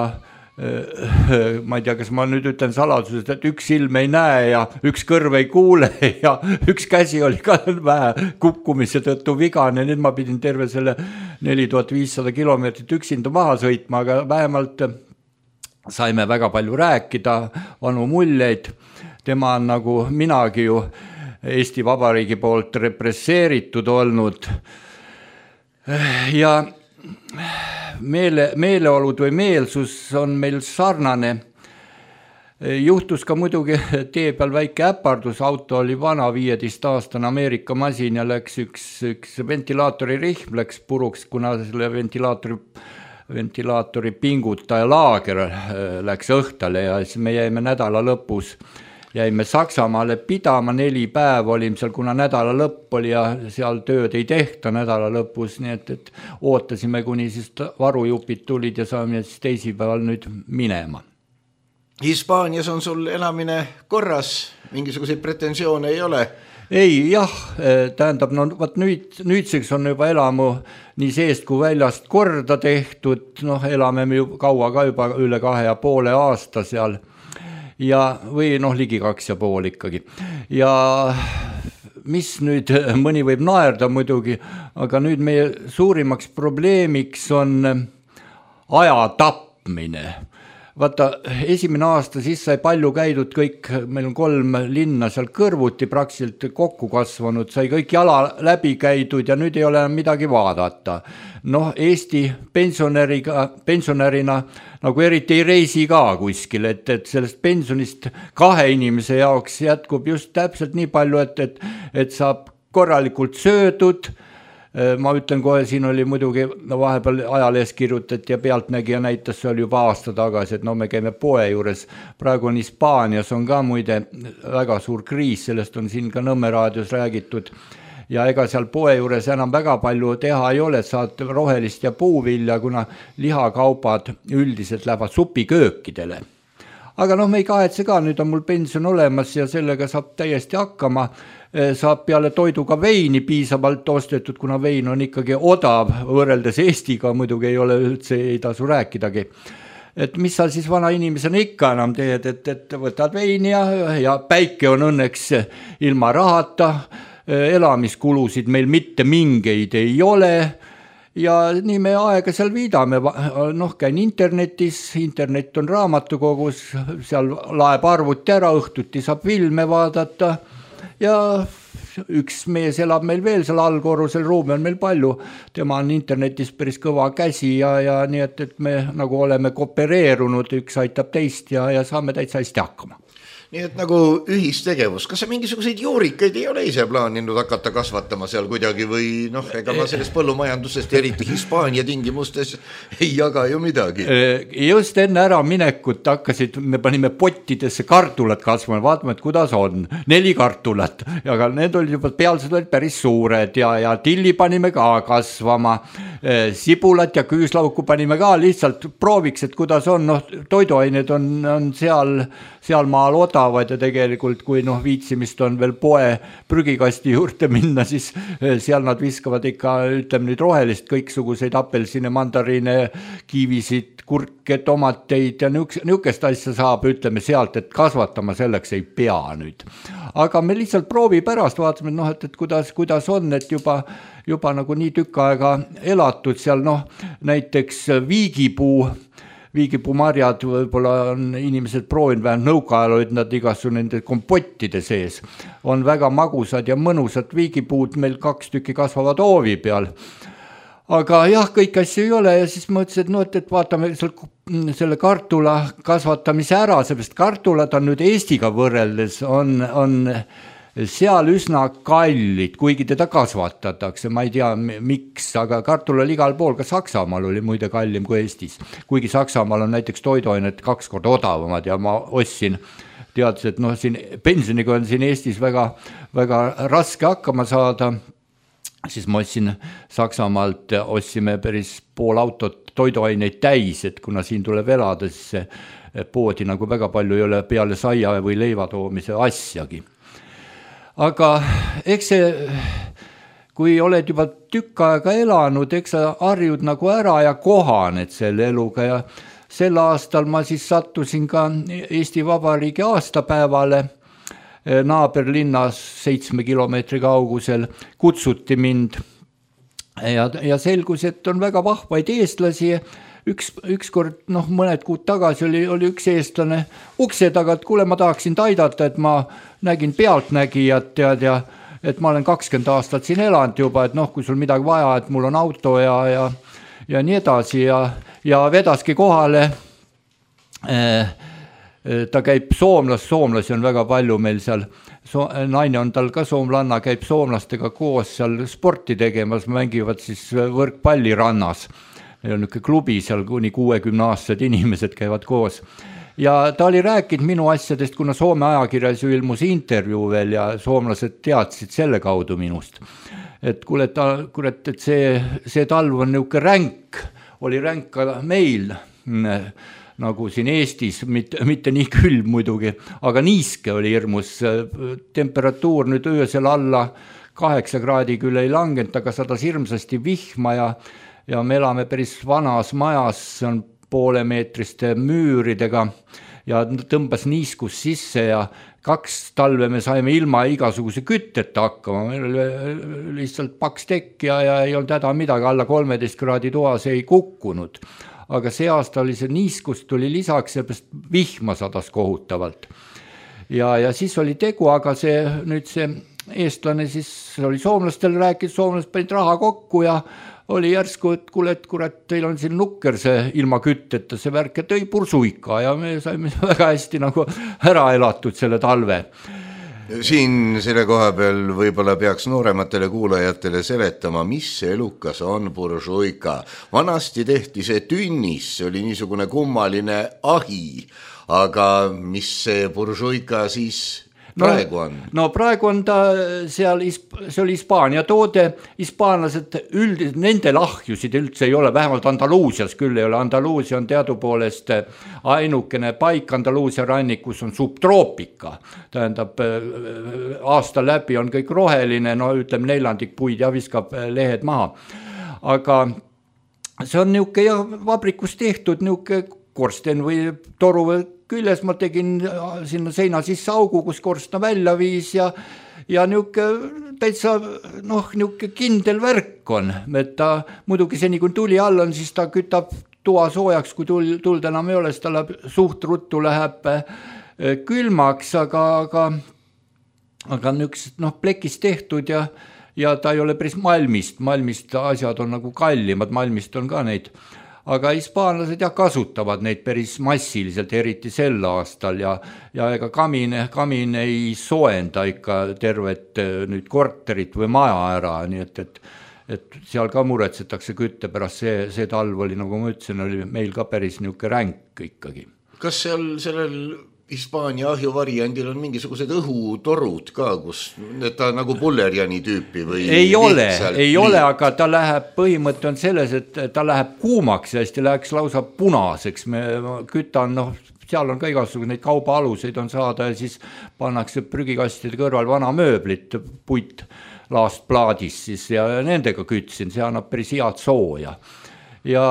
Speaker 4: ma ei tea, kas ma nüüd ütlen saladuses, et üks silm ei näe ja üks kõrv ei kuule ja üks käsi oli ka vähe kukkumise tõttu vigane, nüüd ma pidin terve selle neli tuhat viissada kilomeetrit üksinda maha sõitma, aga vähemalt saime väga palju rääkida, vanu muljeid, tema on nagu minagi ju Eesti Vabariigi poolt represseeritud olnud ja meele, meeleolud või meelsus on meil sarnane. Juhtus ka muidugi tee peal väike äpardus, auto oli vana viieteist aastane Ameerika masin ja läks üks, üks ventilaatori rihm läks puruks, kuna selle ventilaatori, ventilaatori pingutaja laager läks õhtale ja siis me jäime nädala lõpus jäime Saksamaale pidama, neli päeva olime seal, kuna nädala lõpp oli ja seal tööd ei tehta nädala lõpus, nii et, et ootasime, kuni siis varujupid tulid ja saame siis teisipäeval nüüd minema.
Speaker 3: Hispaanias on sul elamine korras, mingisuguseid pretensioone ei ole?
Speaker 4: Ei, jah, tähendab, no vaat nüüd, nüüdseks on juba elamu nii seest kui väljast korda tehtud, noh, elame me ju kaua ka juba üle kahe ja poole aasta seal ja või noh, ligi kaks ja pool ikkagi. Ja mis nüüd, mõni võib naerda muidugi, aga nüüd meie suurimaks probleemiks on aja tapmine. Vaata, esimene aasta siis sai palju käidud kõik, meil on kolm linna seal kõrvuti praktiliselt kokku kasvanud, sai kõik jala läbi käidud ja nüüd ei ole midagi vaadata. Noh, Eesti pensionäriga, pensionärina nagu eriti ei reisi ka kuskil, et, et sellest pensionist kahe inimese jaoks jätkub just täpselt nii palju, et, et, et saab korralikult söödud. Ma ütlen kohe, siin oli muidugi no vahepeal ajalees kirjutati ja pealtnägija näitas, see oli juba aasta tagasi, et no me käime poe juures. Praegu on Hispaanias on ka muide väga suur kriis, sellest on siin ka Nõmme raadios räägitud. Ja ega seal poe juures enam väga palju teha ei ole, saad rohelist ja puuvilja, kuna lihakaupad üldiselt lähevad supiköökidele. Aga noh, me ei kahetse ka, nüüd on mul pension olemas ja sellega saab täiesti hakkama. Saab peale toiduga veini piisavalt ostetud, kuna vein on ikkagi odav võrreldes Eestiga, muidugi ei ole üldse, ei tasu rääkidagi. Et mis sa siis vana inimesena ikka enam teed, et, et võtad veini ja, ja päike on õnneks ilma rahata, elamiskulusid meil mitte mingeid ei ole ja nii me aega seal viidame, noh, käin internetis, internet on raamatukogus, seal laeb arvuti ära, õhtuti saab filme vaadata ja üks mees elab meil veel seal allkorrusel, ruumi on meil palju, tema on internetis päris kõva käsi ja, ja nii, et, et me nagu oleme koopereerunud, üks aitab teist ja, ja saame täitsa hästi hakkama.
Speaker 3: nii et nagu ühistegevus, kas sa mingisuguseid juurikaid ei ole ise plaaninud hakata kasvatama seal kuidagi või noh, ega ma sellest põllumajandusest eriti Hispaania tingimustes ei jaga ju midagi.
Speaker 4: Just enne ära minekut hakkasid, me panime pottidesse kartulat kasvama, vaatame, et kuidas on, neli kartulat, aga need olid juba pealsed olid päris suured ja, ja tilli panime ka kasvama, sibulat ja küüslauku panime ka lihtsalt prooviks, et kuidas on, noh, toiduained on, on seal, seal maal odavad ja tegelikult kui noh, viitsimist on veel poe prügikasti juurde minna, siis seal nad viskavad ikka, ütleme nüüd rohelist kõiksuguseid apelsine, mandariine, kiivisid, kurke, tomateid ja niukest asja saab, ütleme sealt, et kasvatama selleks ei pea nüüd. Aga me lihtsalt proovi pärast vaatame, et, noh, et, et kuidas, kuidas on, et juba, juba nagu nii tükk aega elatud seal, noh, näiteks viigipuu, viigipuumarjad võib-olla on inimesed proovinud, vähemalt nõukaajal olid nad igasu nende kompottide sees, on väga magusad ja mõnusad viigipuud, meil kaks tükki kasvavad hoovi peal. Aga jah, kõik asju ei ole ja siis mõtlesin, et, no, et, et vaatame selle kartula kasvatamise ära, seepärast kartulad on nüüd Eestiga võrreldes, on, on seal üsna kallid, kuigi teda kasvatatakse, ma ei tea miks, aga kartul oli igal pool, ka Saksamaal oli muide kallim kui Eestis, kuigi Saksamaal on näiteks toiduainet kaks korda odavamad ja ma ostsin, teadsin, et noh, siin pensioniga on siin Eestis väga, väga raske hakkama saada, siis ma ostsin Saksamaalt, ostsime päris pool autot toiduaineid täis, et kuna siin tuleb elada, siis see poodi nagu väga palju ei ole peale saia või leiva toomise asjagi. Aga eks see, kui oled juba tükk aega elanud, eks sa harjud nagu ära ja kohaned selle eluga ja sel aastal ma siis sattusin ka Eesti Vabariigi aastapäevale naaberlinnas seitsme kilomeetri kaugusel, kutsuti mind ja, ja selgus, et on väga vahvaid eestlasi. Üks, üks kord, noh, mõned kuud tagasi oli, oli üks eestlane ukse taga, et kuule, ma tahaksin taidata, et ma nägin pealtnägijat tead, ja et ma olen kakskümmend aastat siin elanud juba, et noh, kui sul midagi vaja, et mul on auto ja, ja, ja nii edasi ja, ja vedaski kohale. Ta käib soomlas, soomlasi on väga palju meil seal, so, naine on tal ka soomlanna, käib soomlastega koos seal sporti tegemas, mängivad siis võrkpalli rannas. Meil on niisugune klubi seal, kuni kuuekümne aastased inimesed käivad koos. Ja ta oli rääkinud minu asjadest, kuna Soome ajakirjas ju ilmus intervjuu veel ja soomlased teadsid selle kaudu minust. Et kuule, kuule, et see, see talv on niisugune ränk, oli ränk ka meil, nagu siin Eestis, mitte, mitte nii külm muidugi, aga niiske oli hirmus. Temperatuur nüüd öösel alla kaheksa kraadi küll ei langenud, aga sadas hirmsasti vihma ja ja me elame päris vanas majas, see on poolemeetriste müüridega ja tõmbas niiskus sisse ja kaks talve me saime ilma igasuguse kütteta hakkama, meil oli lihtsalt paks tekk ja, ja ei olnud häda midagi, alla kolmeteist kraadi toas ei kukkunud. Aga see aasta oli see niiskus, tuli lisaks, seepärast vihma sadas kohutavalt. Ja, ja siis oli tegu, aga see nüüd see eestlane siis oli soomlastel rääkinud, soomlased panid raha kokku ja oli järsku, et kuule, et kurat, teil on siin nukker see ilma kütteta, see värk, et tõi pursuika ja me saime väga hästi nagu ära elatud selle talve.
Speaker 3: Siin selle koha peal võib-olla peaks noorematele kuulajatele seletama, mis see elukas on pursuika. Vanasti tehti see tünnis, see oli niisugune kummaline ahi, aga mis see pursuika siis praegu on?
Speaker 4: No, no praegu on ta seal, see oli Hispaania toode, hispaanlased üldiselt, nende lahjusid üldse ei ole, vähemalt Andaluusias küll ei ole, Andaluusia on teadupoolest ainukene paik Andaluusia rannikus on subtroopika, tähendab aasta läbi on kõik roheline, no ütleme neljandik puid ja viskab lehed maha, aga see on niuke ja vabrikus tehtud niuke korsten või toru või küljes ma tegin sinna seina sisse augu, kus korstna välja viis ja, ja niuke täitsa noh, niuke kindel värk on, et ta muidugi seni kui tuli all on, siis ta kütab toa soojaks, kui tuld, tuld enam ei ole, siis ta läheb, suht ruttu läheb külmaks, aga, aga, aga niukest noh, plekist tehtud ja, ja ta ei ole päris malmist, malmist asjad on nagu kallimad, malmist on ka neid. aga hispaanlased jah kasutavad neid päris massiliselt, eriti sel aastal ja, ja ega kamin, kamin ei soenda ikka tervet nüüd korterit või maja ära, nii et, et, et seal ka muretsetakse kütte pärast, see, see talv oli, nagu ma ütlesin, oli meil ka päris niisugune ränk ikkagi.
Speaker 3: Kas seal sellel Hispaania ahjuvariandil on mingisugused õhutorud ka, kus ta nagu pullerjani tüüpi või?
Speaker 4: Ei ole, ei liit? ole, aga ta läheb, põhimõte on selles, et ta läheb kuumaks ja hästi läheks lausa punaseks. Me kütan, noh, seal on ka igasugune neid kaubaaluseid on saada ja siis pannakse prügikastide kõrval vana mööblit, puit laast plaadis siis ja nendega kütsin, see annab päris head sooja. Ja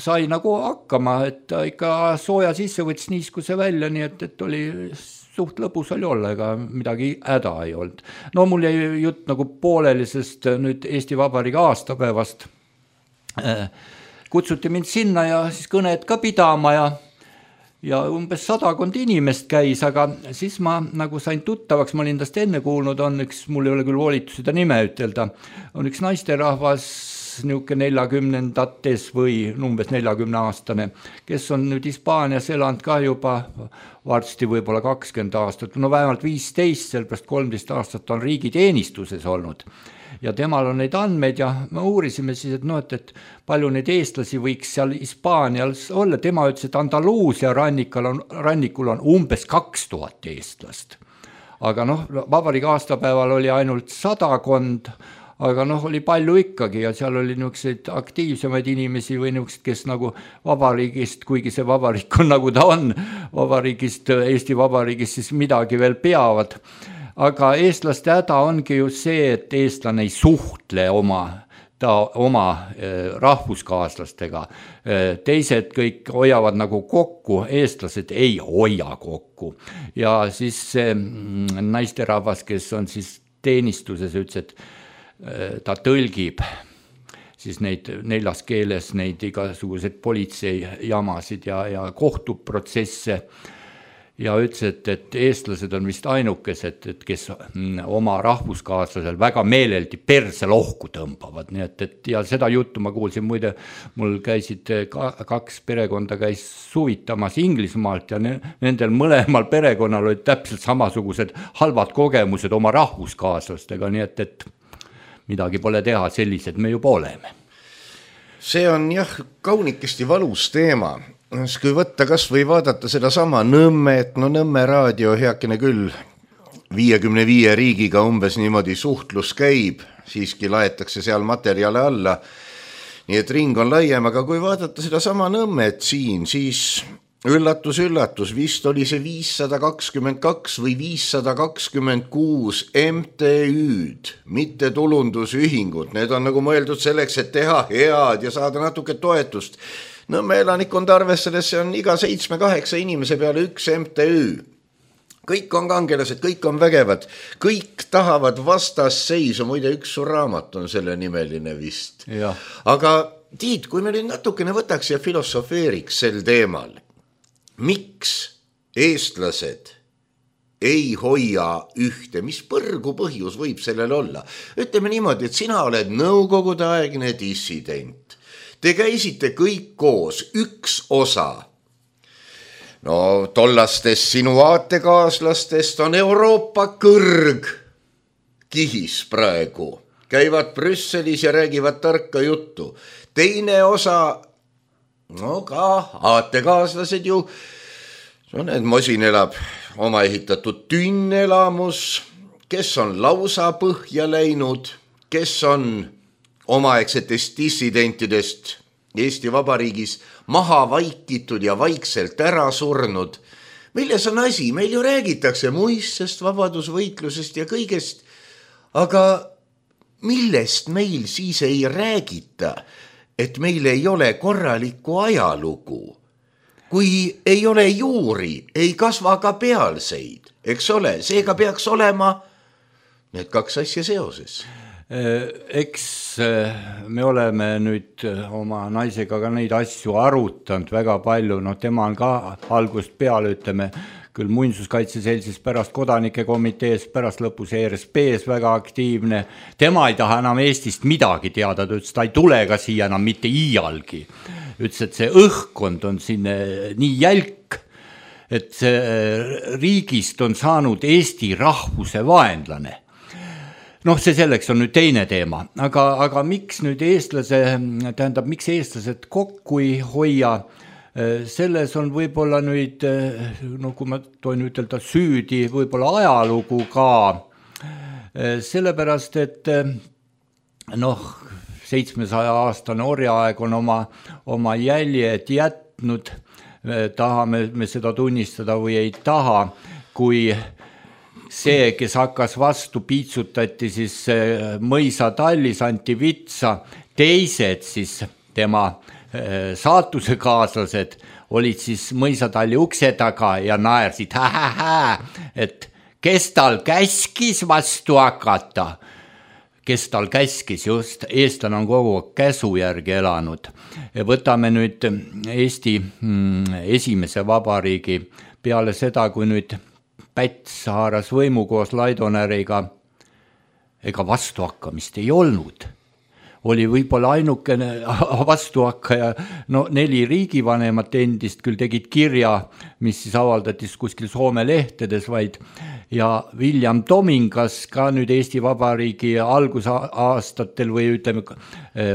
Speaker 4: sai nagu hakkama, et ta ikka sooja sisse võttis niiskuse välja, nii et, et oli suht lõbus oli olla, ega midagi häda ei olnud. No mul jäi jutt nagu pooleli, sest nüüd Eesti Vabariigi aastapäevast kutsuti mind sinna ja siis kõned ka pidama ja ja umbes sadakond inimest käis, aga siis ma nagu sain tuttavaks, ma olin tast enne kuulnud, on üks, mul ei ole küll volitusi ta nime ütelda, on üks naisterahvas niuke neljakümnendates või umbes neljakümne aastane, kes on nüüd Hispaanias elanud ka juba varsti võib-olla kakskümmend aastat, no vähemalt viisteist, sellepärast kolmteist aastat on riigiteenistuses olnud. Ja temal on neid andmeid ja me uurisime siis, et, no, et, et palju neid eestlasi võiks seal Hispaanias olla. Tema ütles, et Andaluusia rannikul on, rannikul on umbes kaks tuhat eestlast. Aga noh, vabariigi aastapäeval oli ainult sadakond, aga noh, oli palju ikkagi ja seal oli niisuguseid aktiivsemaid inimesi või niisugused, kes nagu vabariigist, kuigi see vabariik on nagu ta on, vabariigist, Eesti Vabariigist siis midagi veel peavad. Aga eestlaste häda ongi ju see, et eestlane ei suhtle oma, ta, oma rahvuskaaslastega. Teised kõik hoiavad nagu kokku, eestlased ei hoia kokku. Ja siis see naisterahvas, kes on siis teenistuses, ütles, et ta tõlgib siis neid neljas keeles neid igasugused politseijamasid ja, ja kohtuprotsesse ja ütles, et, et eestlased on vist ainukesed, et kes oma rahvuskaaslasel väga meeleldi perse lohku tõmbavad. Nii et, et, ja seda juttu ma kuulsin, muide mul käisid kaks perekonda käis suvitamas Inglismaalt ja nendel mõlemal perekonnal olid täpselt samasugused halvad kogemused oma rahvuskaaslastega, nii et, et midagi pole teha, sellised me juba oleme.
Speaker 3: See on jah kaunikesti valus teema. Kui võtta kas või vaadata seda sama Nõmme, et no Nõmme raadio heakene küll viiekümne viie riigiga umbes niimoodi suhtlus käib, siiski laetakse seal materjale alla. Nii et ring on laiem, aga kui vaadata seda sama Nõmmet siin, siis üllatus, üllatus, vist oli see viissada kakskümmend kaks või viissada kakskümmend kuus M T Ü'd, mitte tulundusühingud. Need on nagu mõeldud selleks, et teha head ja saada natuke toetust. Nõmme elanikkond arvestades, see on iga seitsme-kaheksa inimese peale üks M T Ü. Kõik on kangelased, kõik on vägevad, kõik tahavad vastasseisu, muide üks su raamat on selle nimeline vist. Ja. Aga Tiit, kui me nüüd natukene võtaks ja filosofeeriks sel teemal, miks eestlased ei hoia ühte, mis põrgu põhjus võib sellel olla? Ütleme niimoodi, et sina oled nõukogude aegne dissident. Te käisite kõik koos, üks osa. No tollastest sinu aatekaaslastest on Euroopa kõrg kihis praegu. Käivad Brüsselis ja räägivad tarka juttu. Teine osa no ka aatekaaslased ju, no need Mosin elab oma ehitatud tünnelamus, kes on lausa põhja läinud, kes on omaaegsetest dissidentidest Eesti Vabariigis maha vaikitud ja vaikselt ära surnud. Milles on asi? Meil ju räägitakse muistest, vabadusvõitlusest ja kõigest, aga millest meil siis ei räägita? Et meil ei ole korralikku ajalugu. Kui ei ole juuri, ei kasva ka pealseid, eks ole, seega peaks olema need kaks asja seoses.
Speaker 4: eks me oleme nüüd oma naisega ka neid asju arutanud väga palju, no tema on ka algust peale, ütleme, küll muinsuskaitseseltsis, pärast kodanike komitees, pärast lõpus E R S P-s väga aktiivne. Tema ei taha enam Eestist midagi teada, ta ütles, ta ei tule ka siia enam mitte iialgi. Ütles, et see õhkkond on siin nii jälk, et see riigist on saanud Eesti rahvuse vaenlane. Noh, see selleks on nüüd teine teema, aga, aga miks nüüd eestlase, tähendab, miks eestlased kokku ei hoia, selles on võib-olla nüüd, no kui ma toin ütelda süüdi, võib-olla ajalugu ka, sellepärast, et noh, seitsmesaja aastane orjaaeg on oma, oma jäljed jätnud, tahame me seda tunnistada või ei taha, kui see, kes hakkas vastu, piitsutati siis mõisa tallis, anti vitsa, teised siis tema saatuse kaaslased olid siis mõisatalli ukse taga ja naersid, hä-hä-hä, et kes tal käskis vastu hakata, kes tal käskis, just eestlane on kogu käsu järgi elanud. Võtame nüüd Eesti esimese vabariigi peale seda, kui nüüd Päts haaras võimu koos Laidonäriga, ega vastuhakkamist ei olnud. Oli võib-olla ainukene vastuhakkaja, no neli riigivanemat endist küll tegid kirja, mis siis avaldatis kuskil Soome lehtedes vaid, ja William Domingas ka nüüd Eesti Vabariigi algusaastatel või ütleme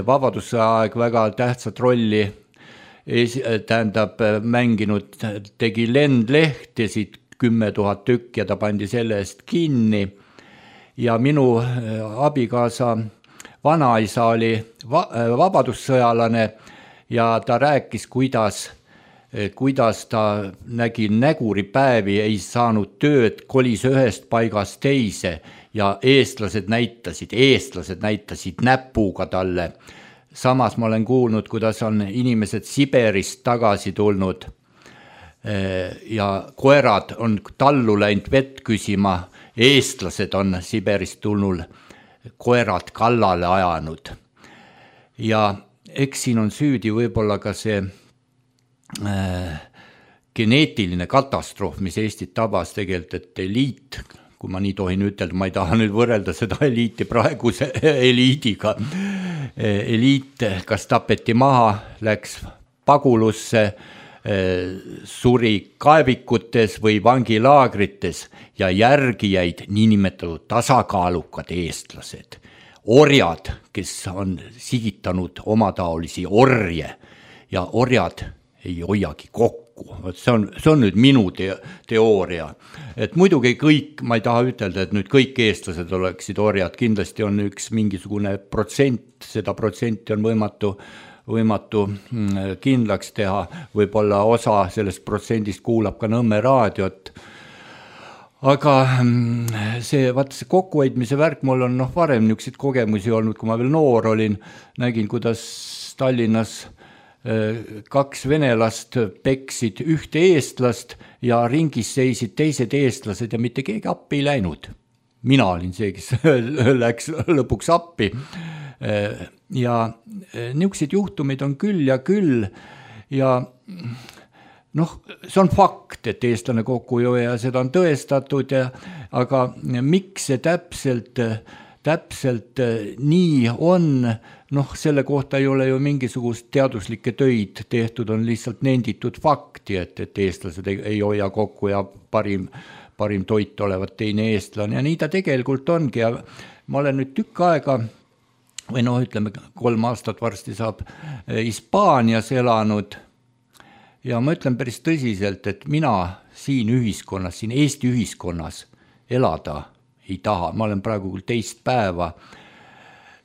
Speaker 4: vabadusaeg väga tähtsat rolli tähendab mänginud, tegi lendlehtesid kümme tuhat tükk ja ta pandi selle eest kinni ja minu abikaasa vanaisa oli va- vabadussõjalane ja ta rääkis, kuidas, kuidas ta nägi näguripäevi, ei saanud tööd, kolis ühest paigast teise ja eestlased näitasid, eestlased näitasid näpuga talle. Samas ma olen kuulnud, kuidas on inimesed Siberist tagasi tulnud ja koerad on tallu läinud vett küsima, eestlased on Siberist tulnud koerad kallale ajanud. Ja eks siin on süüdi võib-olla ka see äh, geneetiline katastroof, mis Eestit tabas tegelikult, et eliit, kui ma nii tohin ütelda, ma ei taha nüüd võrrelda seda eliiti praeguse eliidiga. Eliit kas tapeti maha, läks pagulusse, suri kaevikutes või vangilaagrites ja järgi jäid niinimetatud tasakaalukad eestlased. Orjad, kes on sigitanud omataolisi orje ja orjad ei hoiagi kokku. See on, see on nüüd minu te- teooria. Et muidugi kõik, ma ei taha ütelda, et nüüd kõik eestlased oleksid orjad, kindlasti on üks mingisugune protsent, seda protsenti on võimatu võimatu kindlaks teha, võib-olla osa sellest protsendist kuulab ka Nõmme raadiot. Aga see, vaata see kokkuhoidmise värk, mul on noh, varem niisuguseid kogemusi olnud, kui ma veel noor olin, nägin, kuidas Tallinnas kaks venelast peksid ühte eestlast ja ringis seisid teised eestlased ja mitte keegi appi ei läinud. Mina olin see, kes läks lõpuks appi. Ja niisugused juhtumid on küll ja küll ja noh, see on fakt, et eestlane kokku ei hoia ja seda on tõestatud, ja, aga miks see täpselt, täpselt nii on, noh, selle kohta ei ole ju mingisugust teaduslikke töid tehtud, on lihtsalt nenditud fakti, et, et eestlased ei, ei hoia kokku ja parim, parim toit olevat teine eestlane ja nii ta tegelikult ongi ja ma olen nüüd tükk aega või noh, ütleme kolm aastat varsti saab Hispaanias elanud ja ma ütlen päris tõsiselt, et mina siin ühiskonnas, siin Eesti ühiskonnas elada ei taha. Ma olen praegu küll teist päeva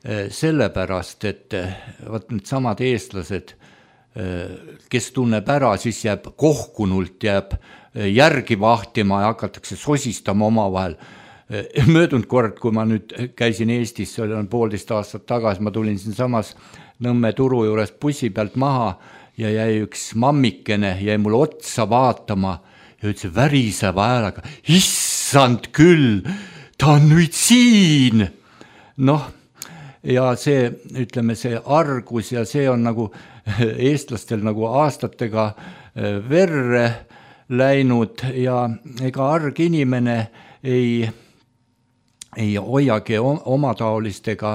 Speaker 4: sellepärast, et vaat need samad eestlased, kes tunneb ära, siis jääb kohkunult, jääb järgi vahtima ja hakatakse sosistama oma vahel. Möödunud kord, kui ma nüüd käisin Eestis, see oli poolteist aastat tagasi, ma tulin siin samas Nõmme turu juures bussi pealt maha ja jäi üks mammikene, jäi mul otsa vaatama ja ütles väriseva häälega, issand küll, ta on nüüd siin. Noh, ja see, ütleme, see argus ja see on nagu eestlastel nagu aastatega verre läinud ja ega arg inimene ei, ei hoiagi omataolistega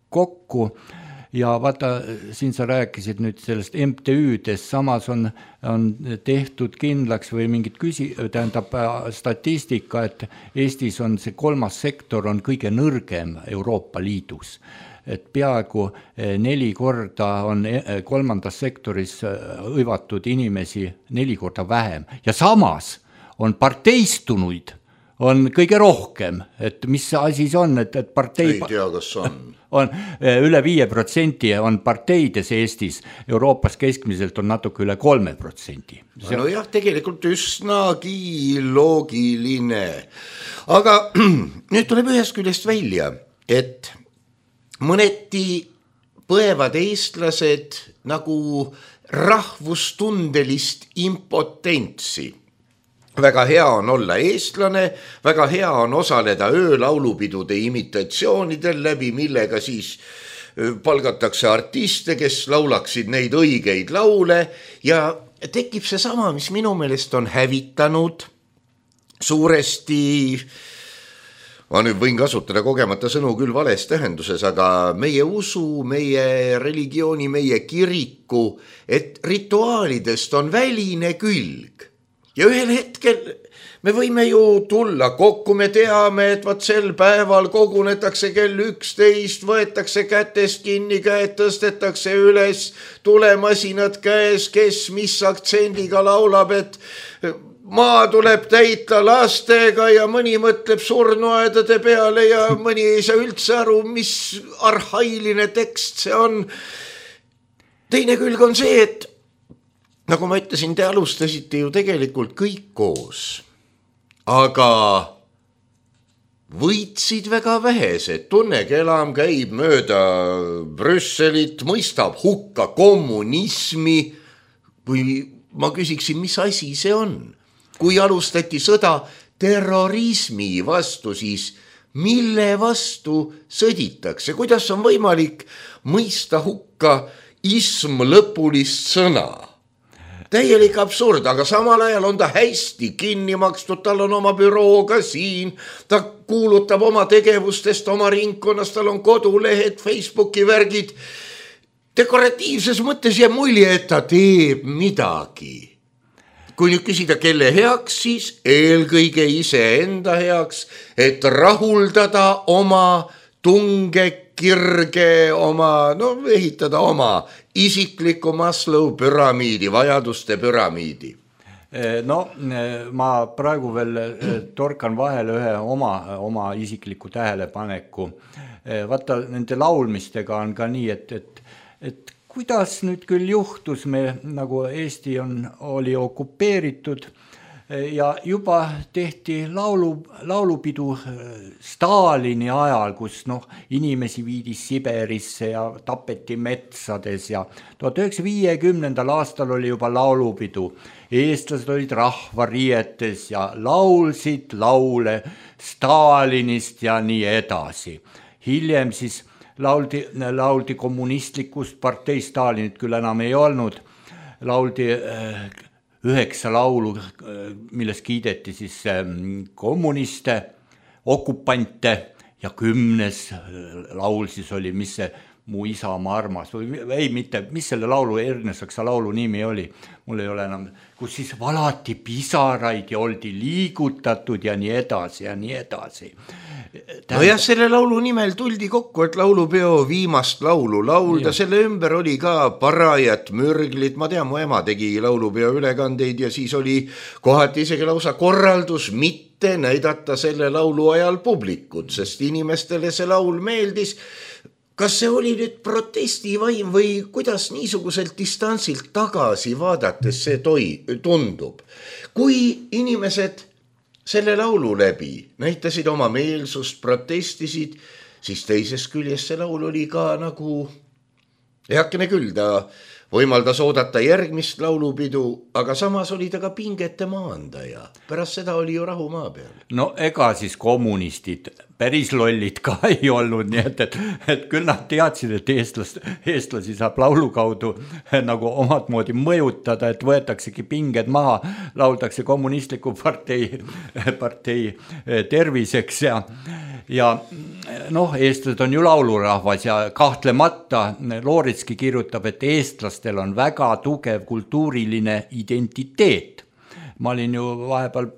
Speaker 4: kokku. Ja vaata, siin sa rääkisid nüüd sellest M T Ü-des, samas on, on tehtud kindlaks või mingid küsi, tähendab statistika, et Eestis on see kolmas sektor on kõige nõrgem Euroopa Liidus. Et peaaegu neli korda on kolmandas sektoris hõivatud inimesi neli korda vähem. Ja samas on parteistunuid on kõige rohkem, et mis asi see on, et, et partei...
Speaker 3: Ei tea, kas on.
Speaker 4: on üle viie protsenti on parteides Eestis, Euroopas keskmiselt on natuke üle kolme protsendi.
Speaker 3: No jah, tegelikult üsnagi loogiline. Aga nüüd tuleb ühest küljest välja, et mõneti põevad eestlased nagu rahvustundelist impotentsi. Väga hea on olla eestlane, väga hea on osaleda öölaulupidude imitatsioonidel läbi, millega siis palgatakse artiste, kes laulaksid neid õigeid laule ja tekib see sama, mis minu meelest on hävitanud suuresti, ma nüüd võin kasutada kogemata sõnu küll vales tähenduses, aga meie usu, meie religiooni, meie kiriku, et rituaalidest on väline külg. Ja ühel hetkel me võime ju tulla kokku, me teame, et vaat sel päeval kogunetakse kell üksteist, võetakse kätest kinni, käed tõstetakse üles, tulemasinad käes, kes mis aktsendiga laulab, et maa tuleb täita lastega ja mõni mõtleb surnuaedade peale ja mõni ei saa üldse aru, mis arhailine tekst see on. Teine külg on see, et nagu ma ütlesin, te alustasite ju tegelikult kõik koos, aga võitsid väga vähesed. Tunne Kelam käib mööda Brüsselit, mõistab hukka kommunismi. Kui ma küsiksin, mis asi see on? Kui alustati sõda terrorismi vastu, siis mille vastu sõditakse? Kuidas on võimalik mõista hukka ism lõpulist sõna? Täielik absurd, aga samal ajal on ta hästi kinni makstud, tal on oma büroo ka siin, ta kuulutab oma tegevustest, oma ringkonnast, tal on kodulehed, Facebooki värgid. Dekoratiivses mõttes jääb mulje, et ta teeb midagi. Kui nüüd küsida, kelle heaks, siis eelkõige iseenda heaks, et rahuldada oma tunge, kirge, oma, no ehitada oma isikliku Maslow püramiidi, vajaduste püramiidi.
Speaker 4: No ma praegu veel torkan vahele ühe oma, oma isikliku tähelepaneku. Vaata, nende laulmistega on ka nii, et, et, et kuidas nüüd küll juhtus, me nagu Eesti on, oli okupeeritud ja juba tehti laulu, laulupidu Stalini ajal, kus noh, inimesi viidi Siberisse ja tapeti metsades ja tuhat üheksasaja viiekümnendal aastal oli juba laulupidu. Eestlased olid rahvarietes ja laulsid laule Stalinist ja nii edasi. Hiljem siis lauldi, lauldi kommunistlikust partei, Stalinit küll enam ei olnud, lauldi üheksa laulu, milles kiideti siis kommuniste, okupante ja kümnes laul siis oli, mis see Mu isamaa armas või ei mitte, mis selle laulu, Ernesaksa laulu nimi oli, mul ei ole enam, kus siis valati pisaraid ja oldi liigutatud ja nii edasi ja nii edasi. Tähendab...
Speaker 3: No jah, selle laulu nimel tuldi kokku, et laulupeo viimast laulu laulda, selle ümber oli ka parajat mürglit, ma tean, mu ema tegi laulupeo ülekandeid ja siis oli kohati isegi lausa korraldus mitte näidata selle laulu ajal publikut, sest inimestele see laul meeldis. Kas see oli nüüd protestivaim või kuidas niisuguselt distantsilt tagasi vaadates see toi, tundub? Kui inimesed selle laulu läbi näitasid oma meelsust, protestisid, siis teises küljes see laul oli ka nagu, heakene küll, ta võimaldas oodata järgmist laulupidu, aga samas oli ta ka pingete maandaja. Pärast seda oli ju rahu maa peal.
Speaker 4: No ega siis kommunistid päris lollid ka ei olnud, nii et, et, et küll nad teadsid, et eestlast, eestlasi saab laulu kaudu nagu omad moodi mõjutada, et võetaksegi pinged maha, lauldakse kommunistliku partei, partei terviseks ja, ja noh, eestlased on ju laulurahvas ja kahtlemata Looritski kirjutab, et eestlastel on väga tugev kultuuriline identiteet. Ma olin ju vahepeal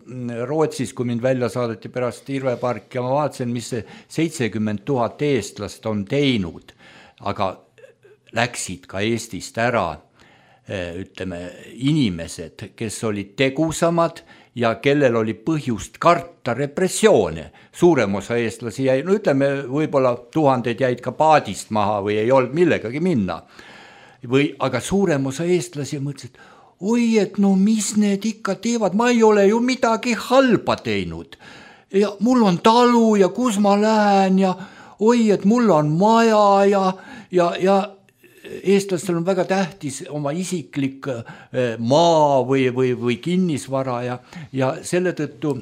Speaker 4: Rootsis, kui mind välja saadeti pärast Irvepark ja ma vaatasin, mis see seitsekümmend tuhat eestlast on teinud, aga läksid ka Eestist ära, ütleme, inimesed, kes olid tegusamad ja kellel oli põhjust karta repressioone. Suurem osa eestlasi jäi, no ütleme, võib-olla tuhanded jäid ka paadist maha või ei olnud millegagi minna. Või, aga suurem osa eestlasi mõtlesid, oi, et no mis need ikka teevad, ma ei ole ju midagi halba teinud. Ja mul on talu ja kus ma lähen ja oi, et mul on maja ja, ja, ja eestlastel on väga tähtis oma isiklik maa või, või, või kinnisvara ja, ja selle tõttu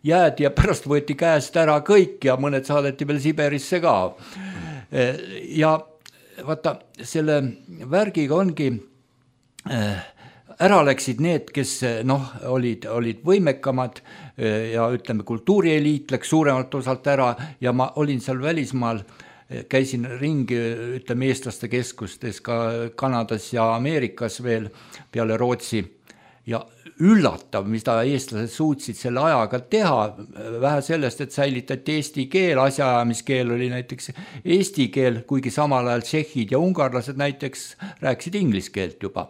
Speaker 4: jäädi ja pärast võeti käest ära kõik ja mõned saadeti veel Siberisse ka. Ja vaata, selle värgiga ongi ära läksid need, kes noh, olid, olid võimekamad ja ütleme, kultuurieliit läks suuremalt osalt ära ja ma olin seal välismaal, käisin ringi, ütleme, eestlaste keskustes ka Kanadas ja Ameerikas veel peale Rootsi ja üllatav, mida eestlased suutsid selle ajaga teha, vähe sellest, et säilitati eesti keel, asjaajamiskeel oli näiteks eesti keel, kuigi samal ajal tšehhid ja ungarlased näiteks rääkisid inglise keelt juba.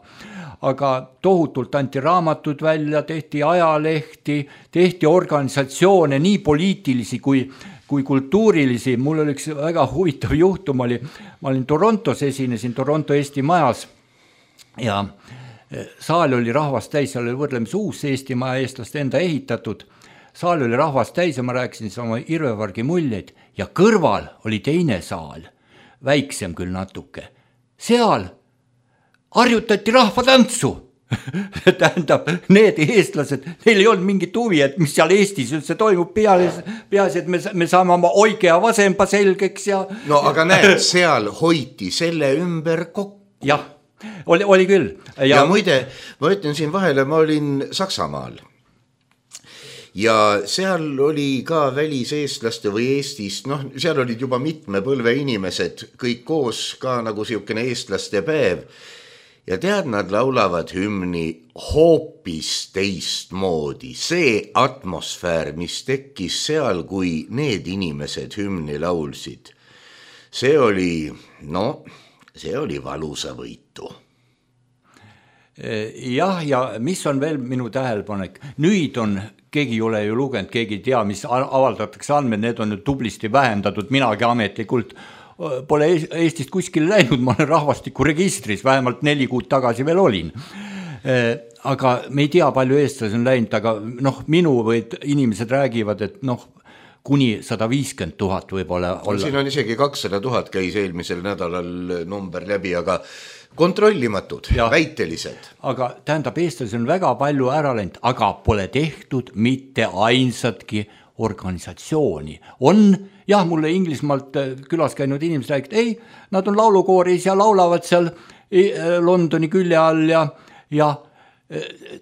Speaker 4: Aga tohutult anti raamatud välja, tehti ajalehti, tehti organisatsioone, nii poliitilisi kui, kui kultuurilisi. Mul oli üks väga huvitav juhtum, oli, ma olin Torontos, esinesin Toronto Eesti majas ja saal oli rahvast täis, seal oli võrdlemis uus Eesti maja eestlaste enda ehitatud. Saal oli rahvast täis ja ma rääkisin oma Irvepargi muljeid ja kõrval oli teine saal, väiksem küll natuke. Seal harjutati rahvatantsu. Tähendab, need eestlased, neil ei olnud mingit huvi, et mis seal Eestis üldse toimub, peaasi, et me, me saame oma oike ja vasempa selgeks. Ja,
Speaker 3: no aga näed, seal hoiti selle ümber kokku.
Speaker 4: Jah. Oli, oli küll.
Speaker 3: Ja, ja muide, ma ütlen siin vahele, ma olin Saksamaal ja seal oli ka väliseestlaste või Eestist, noh, seal olid juba mitme põlve inimesed, kõik koos ka nagu siukene eestlaste päev ja tead, nad laulavad hümni hoopis teistmoodi. See atmosfäär, mis tekkis seal, kui need inimesed hümni laulsid, see oli, no, see oli valusa võitu.
Speaker 4: Jah, ja mis on veel minu tähelepanek? Nüüd on, keegi ei ole ju lugenud, keegi ei tea, mis avaldatakse andmed, need on tublisti vähendatud, minagi ametlikult pole Eestist kuskil läinud, ma olen rahvastikuregistris, vähemalt neli kuud tagasi veel olin. Aga me ei tea, palju eestlasi on läinud, aga noh, minu või inimesed räägivad, et noh, kuni sada viiskümmend tuhat võib-olla olla.
Speaker 3: Siin on isegi kakssada tuhat käis eelmisel nädalal number läbi, aga kontrollimatud, ja, väitelised.
Speaker 4: Aga tähendab, eestlasi on väga palju ära läinud, aga pole tehtud mitte ainsatki organisatsiooni. On, jah, mulle Inglismaalt külas käinud inimesed räägid, ei, nad on laulukooris ja laulavad seal Londoni külje all ja, ja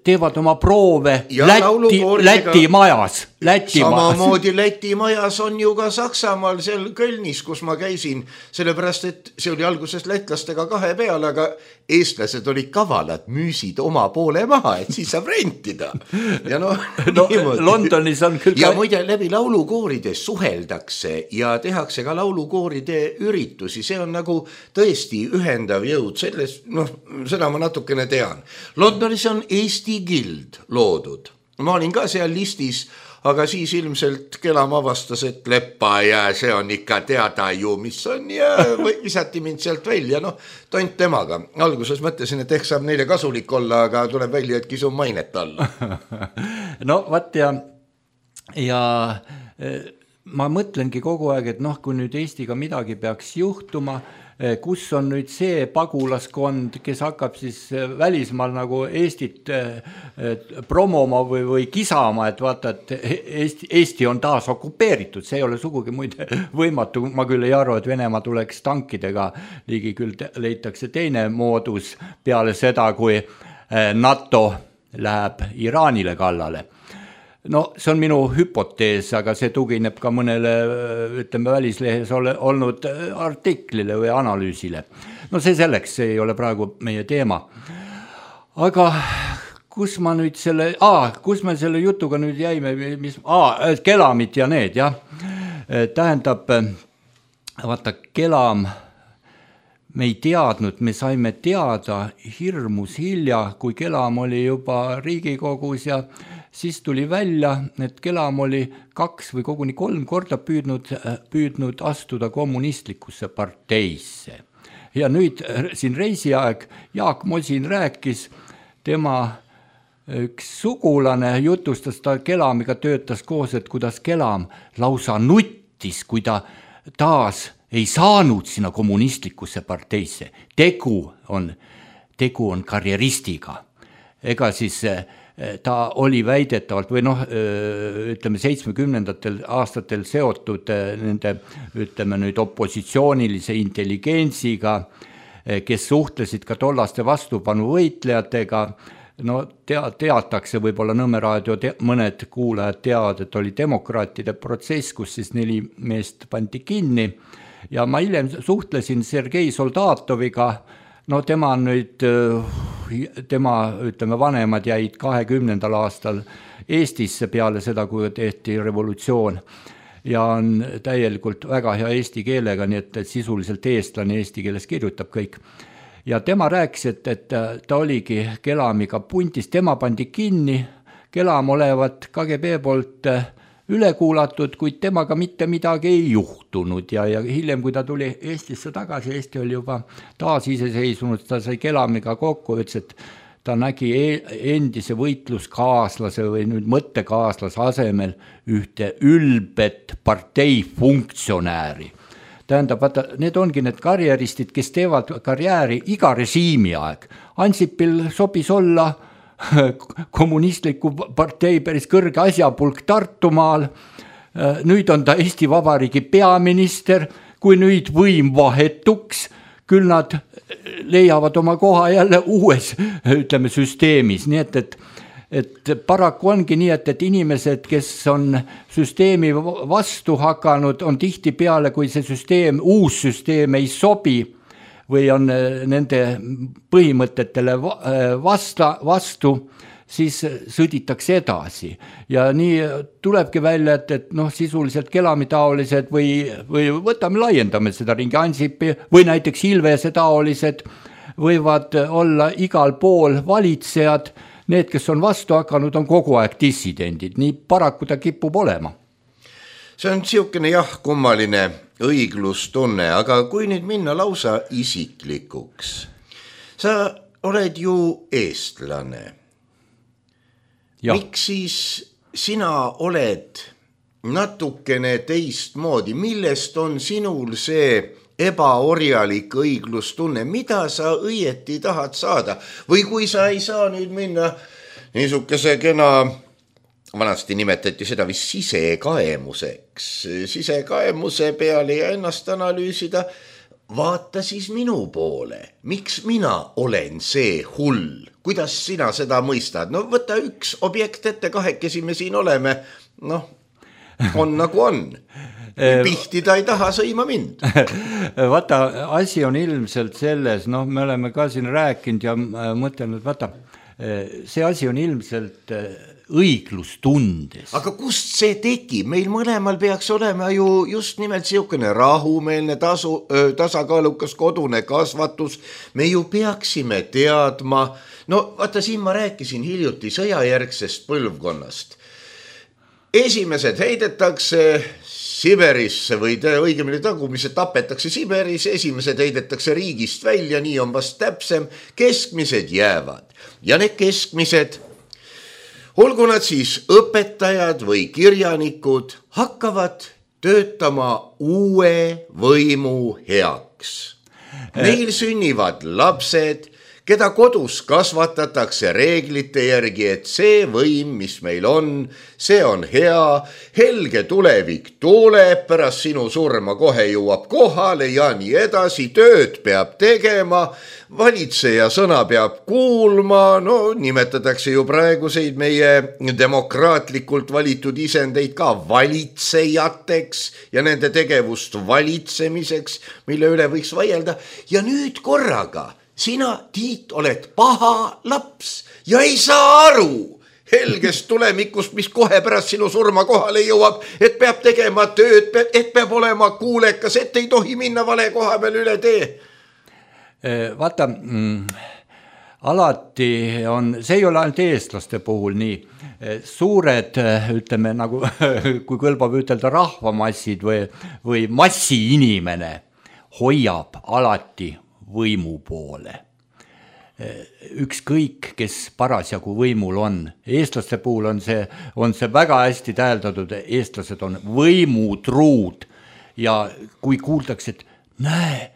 Speaker 4: teevad oma proove ja Läti, Läti majas. Läti
Speaker 3: samamoodi majas. Läti majas on ju ka Saksamaal seal Kölnis, kus ma käisin, sellepärast, et see oli alguses lätlastega kahe peale, aga eestlased olid kavalad, müüsid oma poole maha, et siis saab rentida. Ja no,
Speaker 4: no Londonis on küll
Speaker 3: ja ka... muide läbi laulukooride suheldakse ja tehakse ka laulukooride üritusi, see on nagu tõesti ühendav jõud, selles, noh, seda ma natukene tean. Londonis on Eesti Gild loodud. Ma olin ka seal listis, aga siis ilmselt Kelam avastas, et leppa ja see on ikka teada ju, mis on ja visati mind sealt välja, noh, tont temaga. Alguses mõtlesin, et ehk saab neile kasulik olla, aga tuleb välja, et kisun mainet alla.
Speaker 4: No vaat ja, ja ma mõtlengi kogu aeg, et noh, kui nüüd Eestiga midagi peaks juhtuma, kus on nüüd see pagulaskond, kes hakkab siis välismaal nagu Eestit promoma või, või kisama, et vaata, et Eesti, Eesti on taas okupeeritud, see ei ole sugugi muide võimatu, ma küll ei arva, et Venemaa tuleks tankidega, ligi küll leitakse teine moodus peale seda, kui NATO läheb Iraanile kallale. No see on minu hüpotees, aga see tugineb ka mõnele, ütleme, välislehes ole, olnud artiklile või analüüsile. No see selleks, see ei ole praegu meie teema. Aga kus ma nüüd selle, aa, kus me selle jutuga nüüd jäime, mis, aa, kelamid ja need, jah. Tähendab, vaata, kelam, me ei teadnud, me saime teada hirmus hilja, kui kelam oli juba Riigikogus ja siis tuli välja, et kelam oli kaks või koguni kolm korda püüdnud, püüdnud astuda kommunistlikusse parteisse. Ja nüüd siin reisiaeg Jaak Mosin rääkis, tema üks sugulane jutustas, ta kelamiga töötas koos, et kuidas kelam lausa nuttis, kui ta taas ei saanud sinna kommunistlikusse parteisse. Tegu on, tegu on karjeristiga. Ega siis ta oli väidetavalt või noh, ütleme seitsmekümnendatel aastatel seotud nende, ütleme nüüd opositsioonilise intelligentsiga, kes suhtlesid ka tollaste vastupanu võitlejatega. No tea, teatakse võib-olla Nõmme raadio, te, mõned kuulajad teavad, et oli demokraatide protsess, kus siis neli meest pandi kinni ja ma hiljem suhtlesin Sergei Soldatoviga. No tema nüüd, tema, ütleme, vanemad jäid kahekümnendal aastal Eestisse peale seda, kui tehti revolutsioon ja on täielikult väga hea eesti keelega, nii et sisuliselt eestlane eesti keeles kirjutab kõik. Ja tema rääkis, et, et ta oligi kelamiga puntis, tema pandi kinni, kelam olevat K G B poolt üle kuulatud, kuid temaga mitte midagi ei juhtunud ja, ja hiljem, kui ta tuli Eestisse tagasi, Eesti oli juba taas iseseisvunud, ta sai kelamiga kokku, ütles, et ta nägi endise võitluskaaslase või nüüd mõttekaaslase asemel ühte ülbet parteifunktsionääri. Tähendab, vaata, need ongi need karjäristid, kes teevad karjääri iga režiimi aeg. Ansipil sobis olla kommunistliku partei päris kõrge asjapulk Tartumaal. Nüüd on ta Eesti Vabariigi peaminister, kui nüüd võim vahetuks, küll nad leiavad oma koha jälle uues, ütleme, süsteemis. Nii et, et, et paraku ongi nii, et, et inimesed, kes on süsteemi vastu hakanud, on tihti peale, kui see süsteem, uus süsteem ei sobi, või on nende põhimõtetele vasta, vastu, siis sõditakse edasi. Ja nii tulebki välja, et, et noh, sisuliselt kelamitaolised või, või võtame, laiendame seda ringi Ansipi või näiteks Ilvese taolised võivad olla igal pool valitsejad. Need, kes on vastu hakanud, on kogu aeg dissidendid. Nii paraku ta kipub olema.
Speaker 3: See on siukene jah, kummaline õiglustunne, aga kui nüüd minna lausa isiklikuks, sa oled ju eestlane. Ja. Miks siis sina oled natukene teistmoodi, millest on sinul see ebaorjalik õiglustunne, mida sa õieti tahad saada või kui sa ei saa nüüd minna niisuguse kena, vanasti nimetati seda vist sisekaemuseks, sisekaemuse peale ja ennast analüüsida, vaata siis minu poole, miks mina olen see hull, kuidas sina seda mõistad, no võta üks objekt ette, kahekesi me siin oleme, noh, on nagu on. Pihti ta ei taha sõima mind.
Speaker 4: Vaata, asi on ilmselt selles, noh, me oleme ka siin rääkinud ja mõtelnud, vaata, see asi on ilmselt õiglustundes.
Speaker 3: Aga kust see tegi? Meil mõlemal peaks olema ju just nimelt siukene rahumeelne tasu, tasakaalukas kodune kasvatus. Me ju peaksime teadma, no vaata siin ma rääkisin hiljuti sõjajärgsest põlvkonnast. Esimesed heidetakse Siberisse või õigemini tagumised tapetakse Siberis, esimesed heidetakse riigist välja, nii on vast täpsem, keskmised jäävad. Ja need keskmised, olgu nad siis õpetajad või kirjanikud, hakkavad töötama uue võimu heaks. Neil sünnivad lapsed, keda kodus kasvatatakse reeglite järgi, et see võim, mis meil on, see on hea, helge tulevik tuleb, pärast sinu surma kohe jõuab kohale ja nii edasi, tööd peab tegema, valitseja sõna peab kuulma, no nimetatakse ju praeguseid meie demokraatlikult valitud isendeid ka valitsejateks ja nende tegevust valitsemiseks, mille üle võiks vaielda ja nüüd korraga sina, Tiit, oled paha laps ja ei saa aru helgest tulemikust, mis kohe pärast sinu surma kohale jõuab, et peab tegema tööd, et peab olema kuulekas, et ei tohi minna vale koha peal üle tee.
Speaker 4: Vaata, mm, alati on, see ei ole ainult eestlaste puhul nii, suured, ütleme nagu, kui kõlbab ütelda rahvamassid või, või massiinimene hoiab alati võimu poole. Ükskõik, kes parasjagu võimul on. Eestlaste puhul on see, on see väga hästi täheldatud, eestlased on võimutruud ja kui kuuldakse, et näe,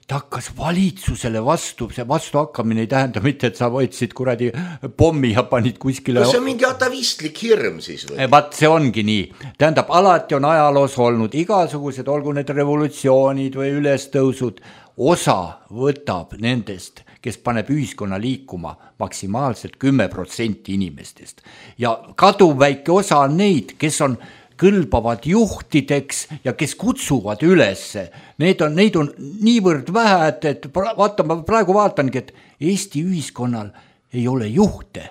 Speaker 4: ta hakkas valitsusele vastu, see vastuhakkamine ei tähenda mitte, et sa võtsid kuradi pommi ja panid kuskile.
Speaker 3: No see on mingi atavistlik hirm siis või?
Speaker 4: Vaat see ongi nii. Tähendab, alati on ajaloos olnud igasugused, olgu need revolutsioonid või ülestõusud, osa võtab nendest, kes paneb ühiskonna liikuma maksimaalselt kümme protsenti inimestest. Ja kaduv väike osa on neid, kes on kõlbavad juhtideks ja kes kutsuvad ülesse. Neid on, neid on niivõrd vähe, et, et vaata, ma praegu vaatangi, et Eesti ühiskonnal ei ole juhte.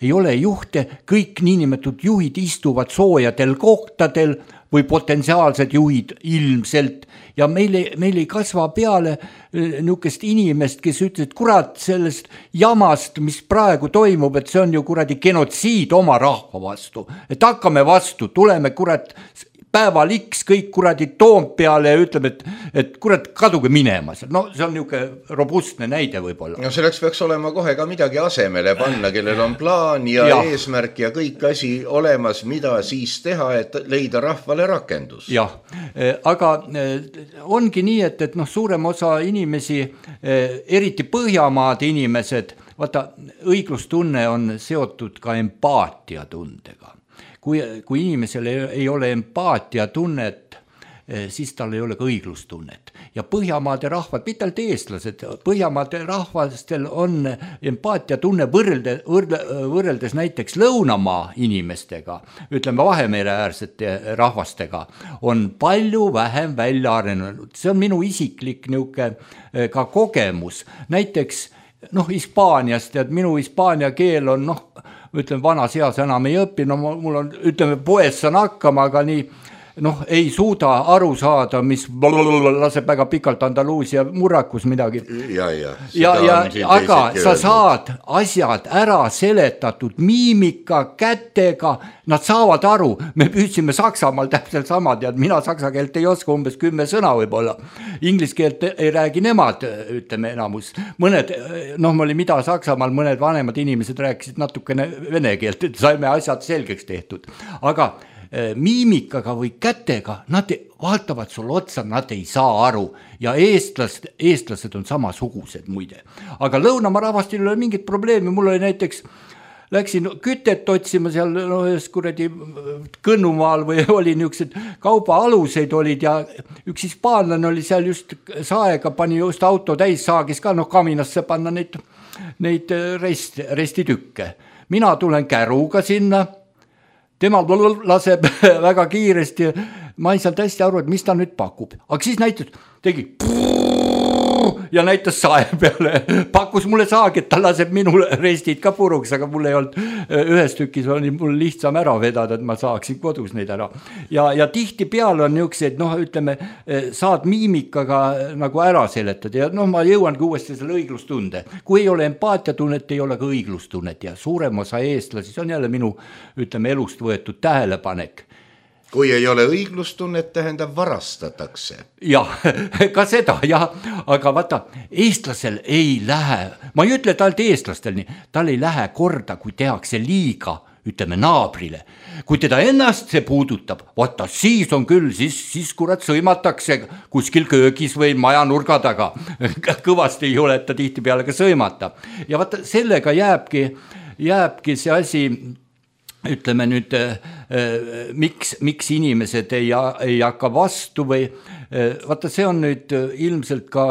Speaker 4: Ei ole juhte, kõik niinimetatud juhid istuvad soojadel kohtadel või potentsiaalsed juhid ilmselt ja meil ei, meil ei kasva peale niisugust inimest, kes ütles, et kurat sellest jamast, mis praegu toimub, et see on ju kuradi genotsiid oma rahva vastu, et hakkame vastu, tuleme kurat päeval X kõik kuradi Toompeale ja ütleme, et, et kurat kaduge minema. No see on niisugune robustne näide võib-olla.
Speaker 3: No selleks peaks olema kohe ka midagi asemele panna, kellel on plaan ja, ja eesmärk ja kõik asi olemas, mida siis teha, et leida rahvale rakendus.
Speaker 4: Jah, aga ongi nii, et, et noh, suurem osa inimesi, eriti Põhjamaade inimesed, vaata, õiglustunne on seotud ka empaatiatundega. Kui, kui inimesel ei, ei ole empaatia tunnet, siis tal ei ole ka õiglustunnet. Ja Põhjamaade rahvad, mitte ainult eestlased, Põhjamaade rahvastel on empaatia tunne võrrelde, võrrelde, võrreldes näiteks Lõunamaa inimestega, ütleme Vahemere äärsete rahvastega, on palju vähem välja arenenud. See on minu isiklik niisugune ka kogemus. Näiteks noh, Hispaaniast, et minu hispaania keel on noh, ütleme, vanas eas enam ei õpi, no mul on, ütleme, poes saan hakkama, aga nii, noh, ei suuda aru saada, mis laseb väga pikalt Andaluusia murrakus midagi.
Speaker 3: Ja, ja,
Speaker 4: ja, ja aga sa saad asjad ära seletatud miimika, kätega, nad saavad aru. Me püüdsime Saksamaal täpselt samad ja mina saksa keelt ei oska umbes kümme sõna võib-olla. Inglis keelt ei räägi nemad, ütleme enamus. Mõned, noh, ma oli mida Saksamaal, mõned vanemad inimesed rääkisid natukene vene keelt, et saime asjad selgeks tehtud. Aga miimikaga või kätega, nad vaatavad sul otsa, nad ei saa aru ja eestlast, eestlased on samasugused muide. Aga Lõunamaa rahvastil ei ole mingit probleemi, mul oli näiteks, läksin kütet otsima seal no, kuradi Kõnnumaal või oli niisugused kaubaaluseid olid ja üks hispaanlane oli seal just saega, pani just auto täis, saagis ka noh kaminasse panna neid, neid rest, restitükke. Mina tulen käruga sinna, tema laseb väga kiiresti, ma ei saanud hästi aru, et mis ta nüüd pakub. Aga siis näitas, tegi ja näitas sae peale, pakkus mulle saagi, et ta laseb minul restid ka puruks, aga mul ei olnud ühes tükis, oli mul lihtsam ära vedada, et ma saaksin kodus neid ära. Ja, ja tihti peale on niisugused, noh, ütleme, saad miimikaga nagu ära seletada ja noh, ma jõuangi uuesti selle õiglustunde. Kui ei ole empaatiatunnet, ei ole ka õiglustunnet ja suurem osa eestlasi, see on jälle minu, ütleme, elust võetud tähelepanek.
Speaker 3: Kui ei ole õiglustunnet, tähendab varastatakse.
Speaker 4: Jah, ka seda, jah, aga vaata, eestlasel ei lähe, ma ei ütle talt eestlastel nii, tal ei lähe korda, kui tehakse liiga ütleme naabrile. Kui teda ennast see puudutab, vaata siis on küll, siis, siis kurat sõimatakse kuskil köögis või maja nurga taga. Kõvasti ei ole ta tihti peale ka sõimata. Ja vaata sellega jääbki, jääbki see asi, ütleme nüüd, äh, miks, miks inimesed ei, ei hakka vastu või äh, vaata see on nüüd ilmselt ka,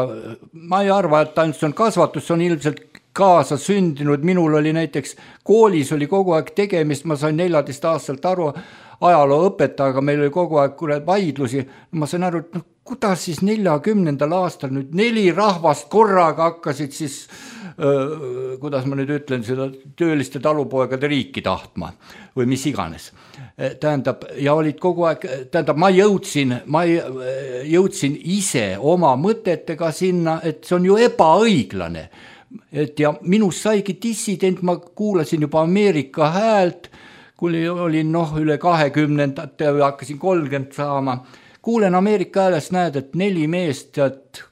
Speaker 4: ma ei arva, et ainult see on kasvatus, see on ilmselt kaasa sündinud, minul oli näiteks koolis oli kogu aeg tegemist, ma sain neljateist aastalt aru ajaloo õpetajaga, meil oli kogu aeg kuule vaidlusi, ma sain aru, et noh, kuidas siis neljakümnendal aastal nüüd neli rahvast korraga hakkasid siis, öö, kuidas ma nüüd ütlen, seda tööliste talupoegade riiki tahtma või mis iganes. Tähendab, ja olid kogu aeg, tähendab, ma jõudsin, ma jõudsin ise oma mõtetega sinna, et see on ju ebaõiglane. Et ja minust saigi dissident, ma kuulasin juba Ameerika häält, kui olin noh, üle kahekümnendate või hakkasin kolmkümmend saama. Kuulen Ameerika häälest, näed, et neli meest tead,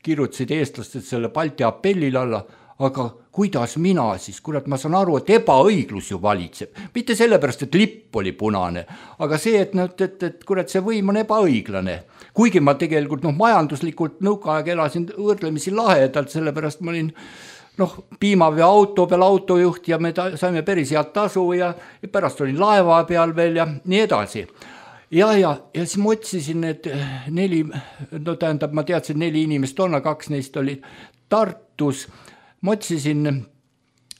Speaker 4: kirjutasid eestlased selle Balti apellil alla, aga kuidas mina siis, kurat, ma saan aru, et ebaõiglus ju valitseb. Mitte sellepärast, et lipp oli punane, aga see, et, et, et kurat, see võim on ebaõiglane. Kuigi ma tegelikult noh, majanduslikult nõukaaeg elasin võrdlemisi lahedalt, sellepärast ma olin noh, piimavee auto peal autojuht ja me ta, saime päris head tasu ja, ja pärast olin laeva peal veel ja nii edasi. Ja, ja, ja siis ma otsisin need neli, no tähendab, ma teadsin neli inimest on, kaks neist oli Tartus. Ma otsisin,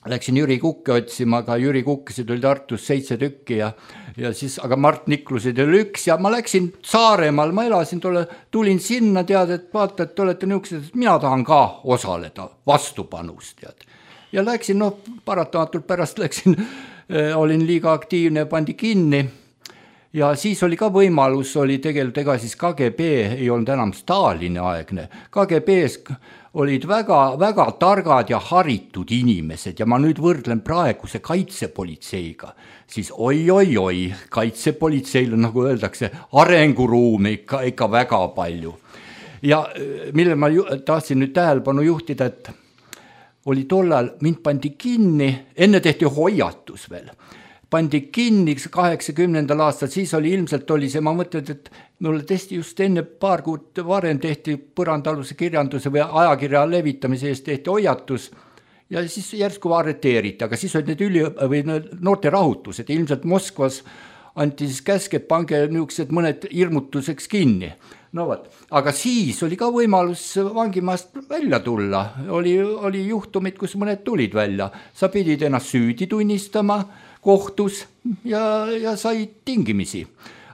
Speaker 4: läksin Jüri Kukke otsima, aga Jüri Kukkesid oli Tartus seitse tükki ja, ja siis, aga Mart Niklusid oli üks ja ma läksin Saaremaal, ma elasin, tule, tulin sinna, tead, et vaata, et olete niisugused, et mina tahan ka osaleda vastupanust, tead. Ja läksin, noh, paratamatult pärast läksin, olin liiga aktiivne, pandi kinni. Ja siis oli ka võimalus, oli tegelikult ega siis K G B ei olnud enam Stalini aegne. K G B-s olid väga, väga targad ja haritud inimesed ja ma nüüd võrdlen praeguse kaitsepolitseiga. Siis oi, oi, oi, kaitsepolitseil on, nagu öeldakse, arenguruumi ikka, ikka väga palju. Ja mille ma ju, tahtsin nüüd tähelepanu juhtida, et oli tollal, mind pandi kinni, enne tehti hoiatus veel. Pandi kinni kaheksakümnendal aastal, siis oli ilmselt oli see, ma mõtlen, et mulle testi just enne paar kuud varem tehti põrandaluse kirjanduse või ajakirja levitamise eest tehti hoiatus ja siis järsku arreteeriti, aga siis olid need üli, või noorte rahutused, ilmselt Moskvas anti siis käsk, et pange niisugused mõned hirmutuseks kinni. No võt, aga siis oli ka võimalus vangimaast välja tulla, oli, oli juhtumid, kus mõned tulid välja, sa pidid ennast süüdi tunnistama, kohtus ja, ja said tingimisi.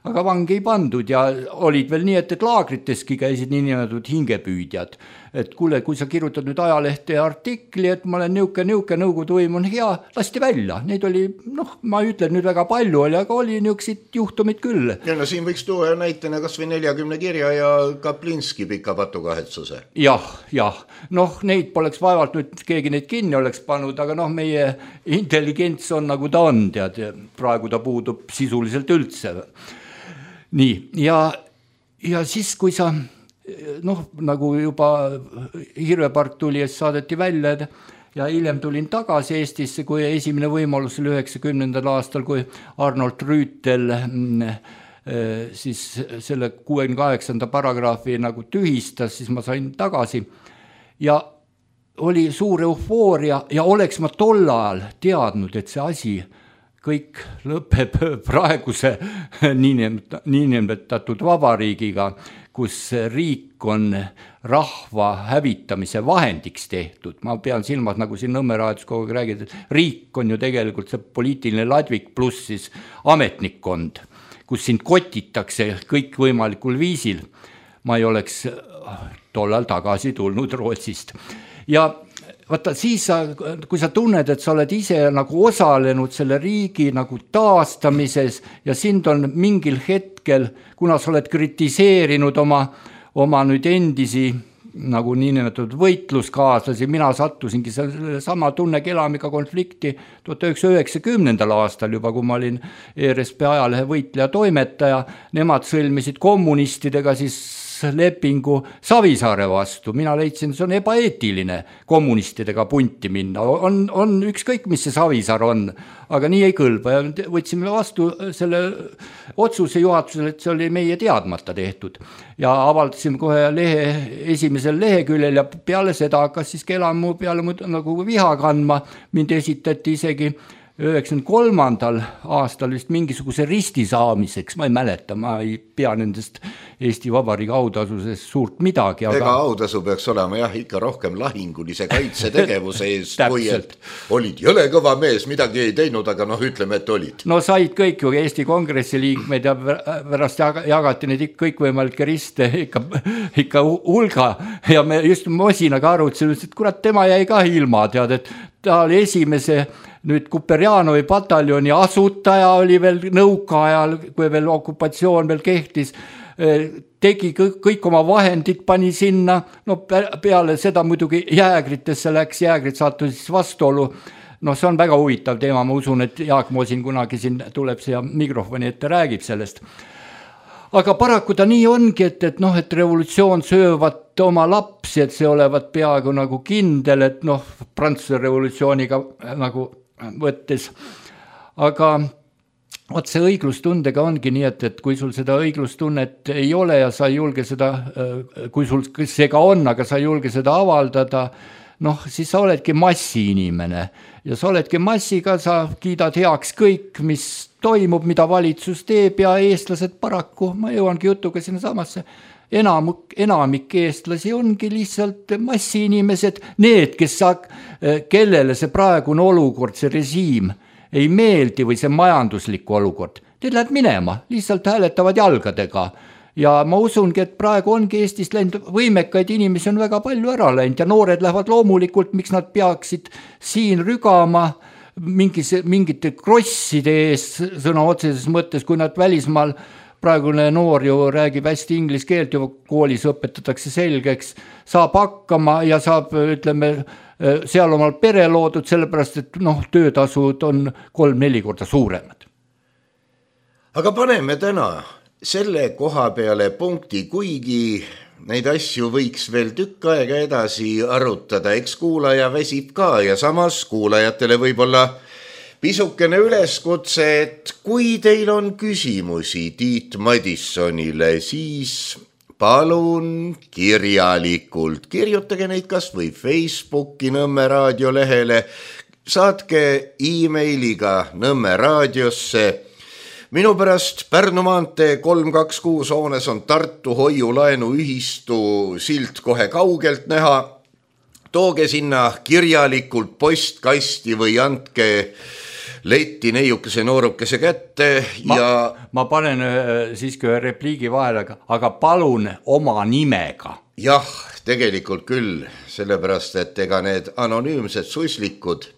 Speaker 4: Aga vangi ei pandud ja olid veel nii, et, et laagriteski käisid nii nimetatud hingepüüdjad. Et kuule, kui sa kirjutad nüüd ajalehte artikli, et ma olen niuke, niuke nõukogude võim on hea, lasti välja. Neid oli, noh, ma ütlen nüüd väga palju oli, aga oli niisugused juhtumid küll.
Speaker 3: Ja no siin võiks tuua näitena kas või neljakümne kirja ja Kaplinski pika patukahetsuse.
Speaker 4: Jah, jah. Noh, neid poleks vaevalt nüüd keegi neid kinni oleks pannud, aga noh, meie intelligents on nagu ta on, tead, praegu ta puudub sisuliselt üldse. Nii, ja, ja siis, kui sa, noh, nagu juba Hirvepark tuli, et saadeti välja ja hiljem tulin tagasi Eestisse, kui esimene võimalus oli üheksakümnendal aastal, kui Arnold Rüütel siis selle kuuekümne kaheksanda paragraafi nagu tühistas, siis ma sain tagasi ja oli suur eufooria ja oleks ma tol ajal teadnud, et see asi kõik lõpeb praeguse niinimetatud vabariigiga, kus riik on rahva hävitamise vahendiks tehtud. Ma pean silmas, nagu siin Nõmme raadios kogu aeg räägid, et riik on ju tegelikult see poliitiline ladvik pluss siis ametnikkond, kus sind kotitakse kõik võimalikul viisil. Ma ei oleks tollal tagasi tulnud Rootsist. Ja vaata, siis sa, kui sa tunned, et sa oled ise nagu osalenud selle riigi nagu taastamises ja sind on mingil hetkel, kuna sa oled kritiseerinud oma, oma nüüd endisi nagu niinimetatud võitluskaaslasi, mina sattusingi selle sama Tunne Kelamiga konflikti tuhat üheksasada üheksakümnendal aastal juba, kui ma olin E R S P ajalehe võitleja toimetaja, nemad sõlmisid kommunistidega siis vabaduslepingu Savisaare vastu. Mina leidsin, see on ebaeetiline kommunistidega punti minna. On, on ükskõik, mis see Savisaar on, aga nii ei kõlba. Ja võtsime vastu selle otsuse juhatusele, et see oli meie teadmata tehtud. Ja avaldasime kohe lehe, esimesel leheküljel ja peale seda hakkas siis Kelamu peale nagu viha kandma. Mind esitati isegi üheksakümne kolmandal aastal vist mingisuguse risti saamiseks, ma ei mäleta, ma ei pea nendest Eesti Vabariigi autasusest suurt midagi.
Speaker 3: Aga... Ega autasu peaks olema jah ikka rohkem lahingulise kaitsetegevuse eest, kui et olid jõle kõva mees, midagi ei teinud, aga noh, ütleme, et olid.
Speaker 4: No said kõik ju Eesti Kongressi liikmeid ja pärast jagati neid kõikvõimalikke riste ikka, ikka hulga ja me just Mosinaga arutsime, et kurat, tema jäi ka ilma, tead, et ta oli esimese nüüd Kuperjanovi pataljoni asutaja oli veel nõukaajal, kui veel okupatsioon veel kehtis, tegi kõik, kõik oma vahendid, pani sinna, no peale seda muidugi jäägritesse läks, jäägrid sattus siis vastuolu. No see on väga huvitav teema, ma usun, et Jaak Mosin kunagi siin tuleb siia mikrofoni ette, räägib sellest. Aga paraku ta nii ongi, et, et, noh, et revolutsioon söövad oma lapsi, et see olevat peaaegu nagu kindel, et noh, Prantsuse revolutsiooniga nagu võttes. Aga võt see õiglustundega ongi nii, et, et kui sul seda õiglustunnet ei ole ja sa ei julge seda, kui sul see ka on, aga sa ei julge seda avaldada, noh, siis sa oledki massi inimene ja sa oledki massiga, sa kiidad heaks kõik, mis toimub, mida valitsus teeb ja eestlased paraku, ma jõuangi jutuga sinna samasse, enamik, enamik eestlasi ongi lihtsalt massi inimesed, need, kes sa, kellele see praegune olukord, see režiim ei meeldi või see majanduslik olukord, need läheb minema, lihtsalt hääletavad jalgadega. Ja ma usungi, et praegu ongi Eestis läinud võimekaid inimesi on väga palju ära läinud ja noored lähevad loomulikult, miks nad peaksid siin rügama mingis, mingite krosside ees sõna otseses mõttes, kui nad välismaal praegune noor ju räägib hästi inglise keelt, juba koolis õpetatakse selgeks, saab hakkama ja saab, ütleme, seal omal pere loodud, sellepärast, et noh, töötasud on kolm-neli korda suuremad.
Speaker 3: Aga paneme täna selle koha peale punkti, kuigi neid asju võiks veel tükk aega edasi arutada, eks kuulaja väsib ka ja samas kuulajatele võib-olla pisukene üleskutse, et kui teil on küsimusi Tiit Madissonile, siis palun kirjalikult, kirjutage neid kas või Facebooki Nõmme raadio lehele, saatke e-mailiga Nõmme raadiosse. Minu pärast Pärnu maantee kolm kaks kuus hoones on Tartu hoiulaenu ühistu silt kohe kaugelt näha. Tooge sinna kirjalikult postkasti või andke letti neiukese noorukese kätte
Speaker 4: ma,
Speaker 3: ja...
Speaker 4: Ma panen siiski ühe repliigi vahele, aga palun oma nimega.
Speaker 3: Jah, tegelikult küll, sellepärast, et ega need anonüümsed suslikud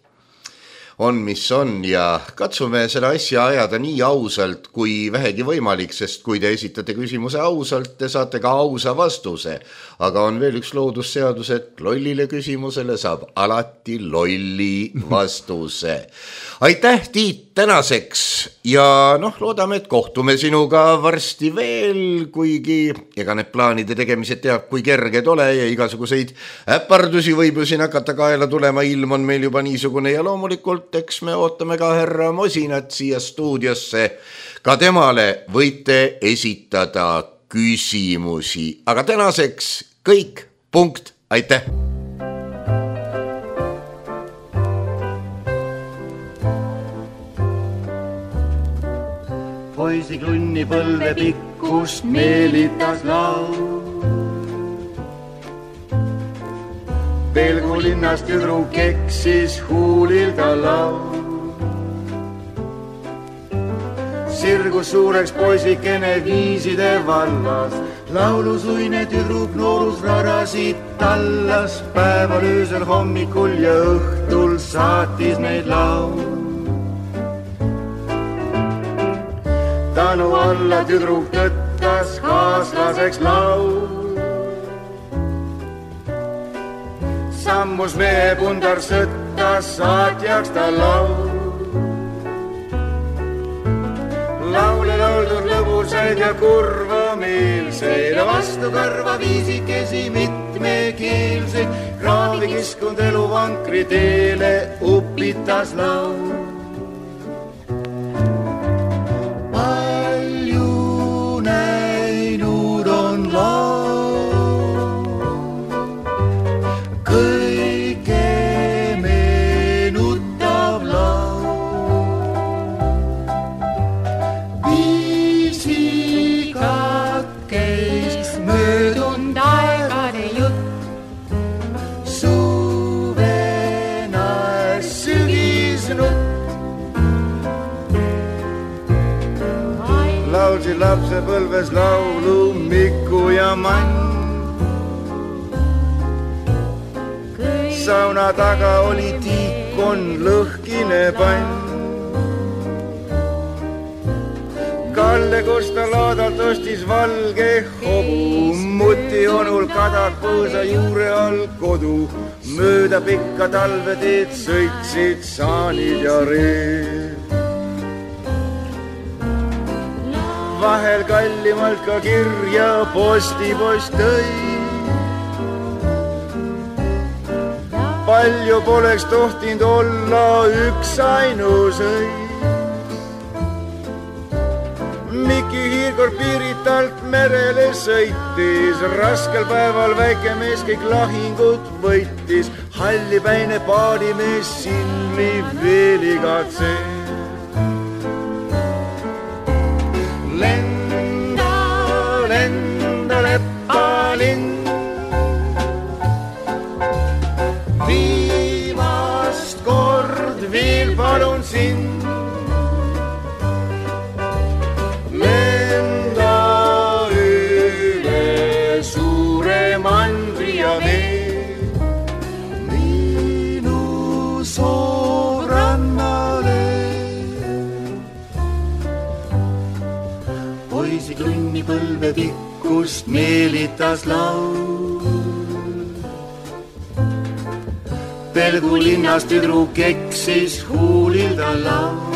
Speaker 3: on, mis on ja katsume selle asja ajada nii ausalt kui vähegi võimalik, sest kui te esitate küsimuse ausalt, te saate ka ausa vastuse. Aga on veel üks loodusseadus, et lollile küsimusele saab alati lolli vastuse. Aitäh, Tiit, tänaseks ja noh, loodame, et kohtume sinuga varsti veel, kuigi ega need plaanide tegemised teab, kui kerged ole ja igasuguseid äpardusi võib ju siin hakata kaela tulema, ilm on meil juba niisugune ja loomulikult eks me ootame ka härra Mosinat siia stuudiosse. Ka temale võite esitada küsimusi, aga tänaseks kõik, punkt, aitäh!
Speaker 5: Poisi klunni põlve pikkust meelitas laul. Pelgu linnas tüdru keksis huulilda laul. Sirgus suureks poisikene viiside vallas. Laulusuine tüdruk noorus rarasid tallas. Päeval öösel hommikul ja õhtul saatis neid laul. Tänu alla tüdruk tõttas kaaslaseks laul. Sammus mehe pundar sõttas saatjaks ta laul. Laule lauldud lõbusaid ja kurva meelseid, vastu karva viisikesi mitmekeelseid. Kraavikeskkond eluvankri teele upitas laul. Palju näinud on laul, kõike meenutav laul. Viisikat käis möödunud aegade jutt, suvena sügisnutt. Laulsi lapsepõlves laulu Miku ja Mann. Sauna taga oli tiikon lõhkine pann. Kalle Kosta laadalt ostis valge hobu, muti onul kadakpõõsa juure all kodu. Mööda pikka talveteed sõitsid saanid ja reed. Vahel kallimalt ka kirja postipost tõi. Palju poleks tohtinud olla üks ainus õi. Miki hiirkord Piiritalt merele sõitis, raskel päeval väike mees kõik lahingud võitis. Hallipäine paadimees silmi veel igatses. Lenda, lenda leppalinn, viimast kord veel palun sind. Lenda üle suure mandri ja vee, minu soorannale. Poisi tunni põlve pikkust meelitas laul. Pelgu linnas tüdruk eksis huulilda laul.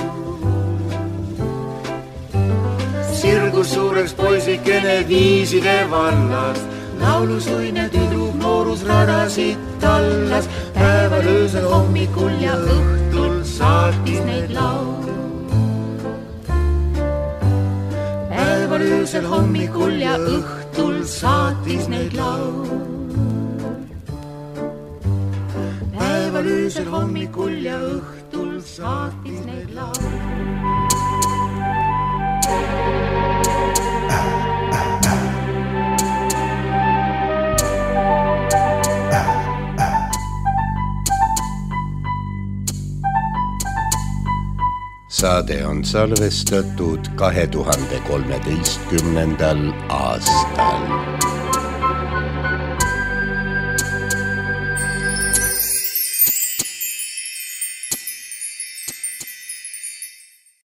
Speaker 5: Sirgus suureks poisikene viiside vallas, laulusuine tüdruk noorus radasid tallas. Päeval öösel hommikul ja õhtul saatis neid laul. Päeval öösel hommikul ja õhtul saatis neid laul. Päeval öösel hommikul ja õhtul saatis neid laul.
Speaker 3: Saade on salvestatud kahe tuhande kolmeteistkümnendal aastal.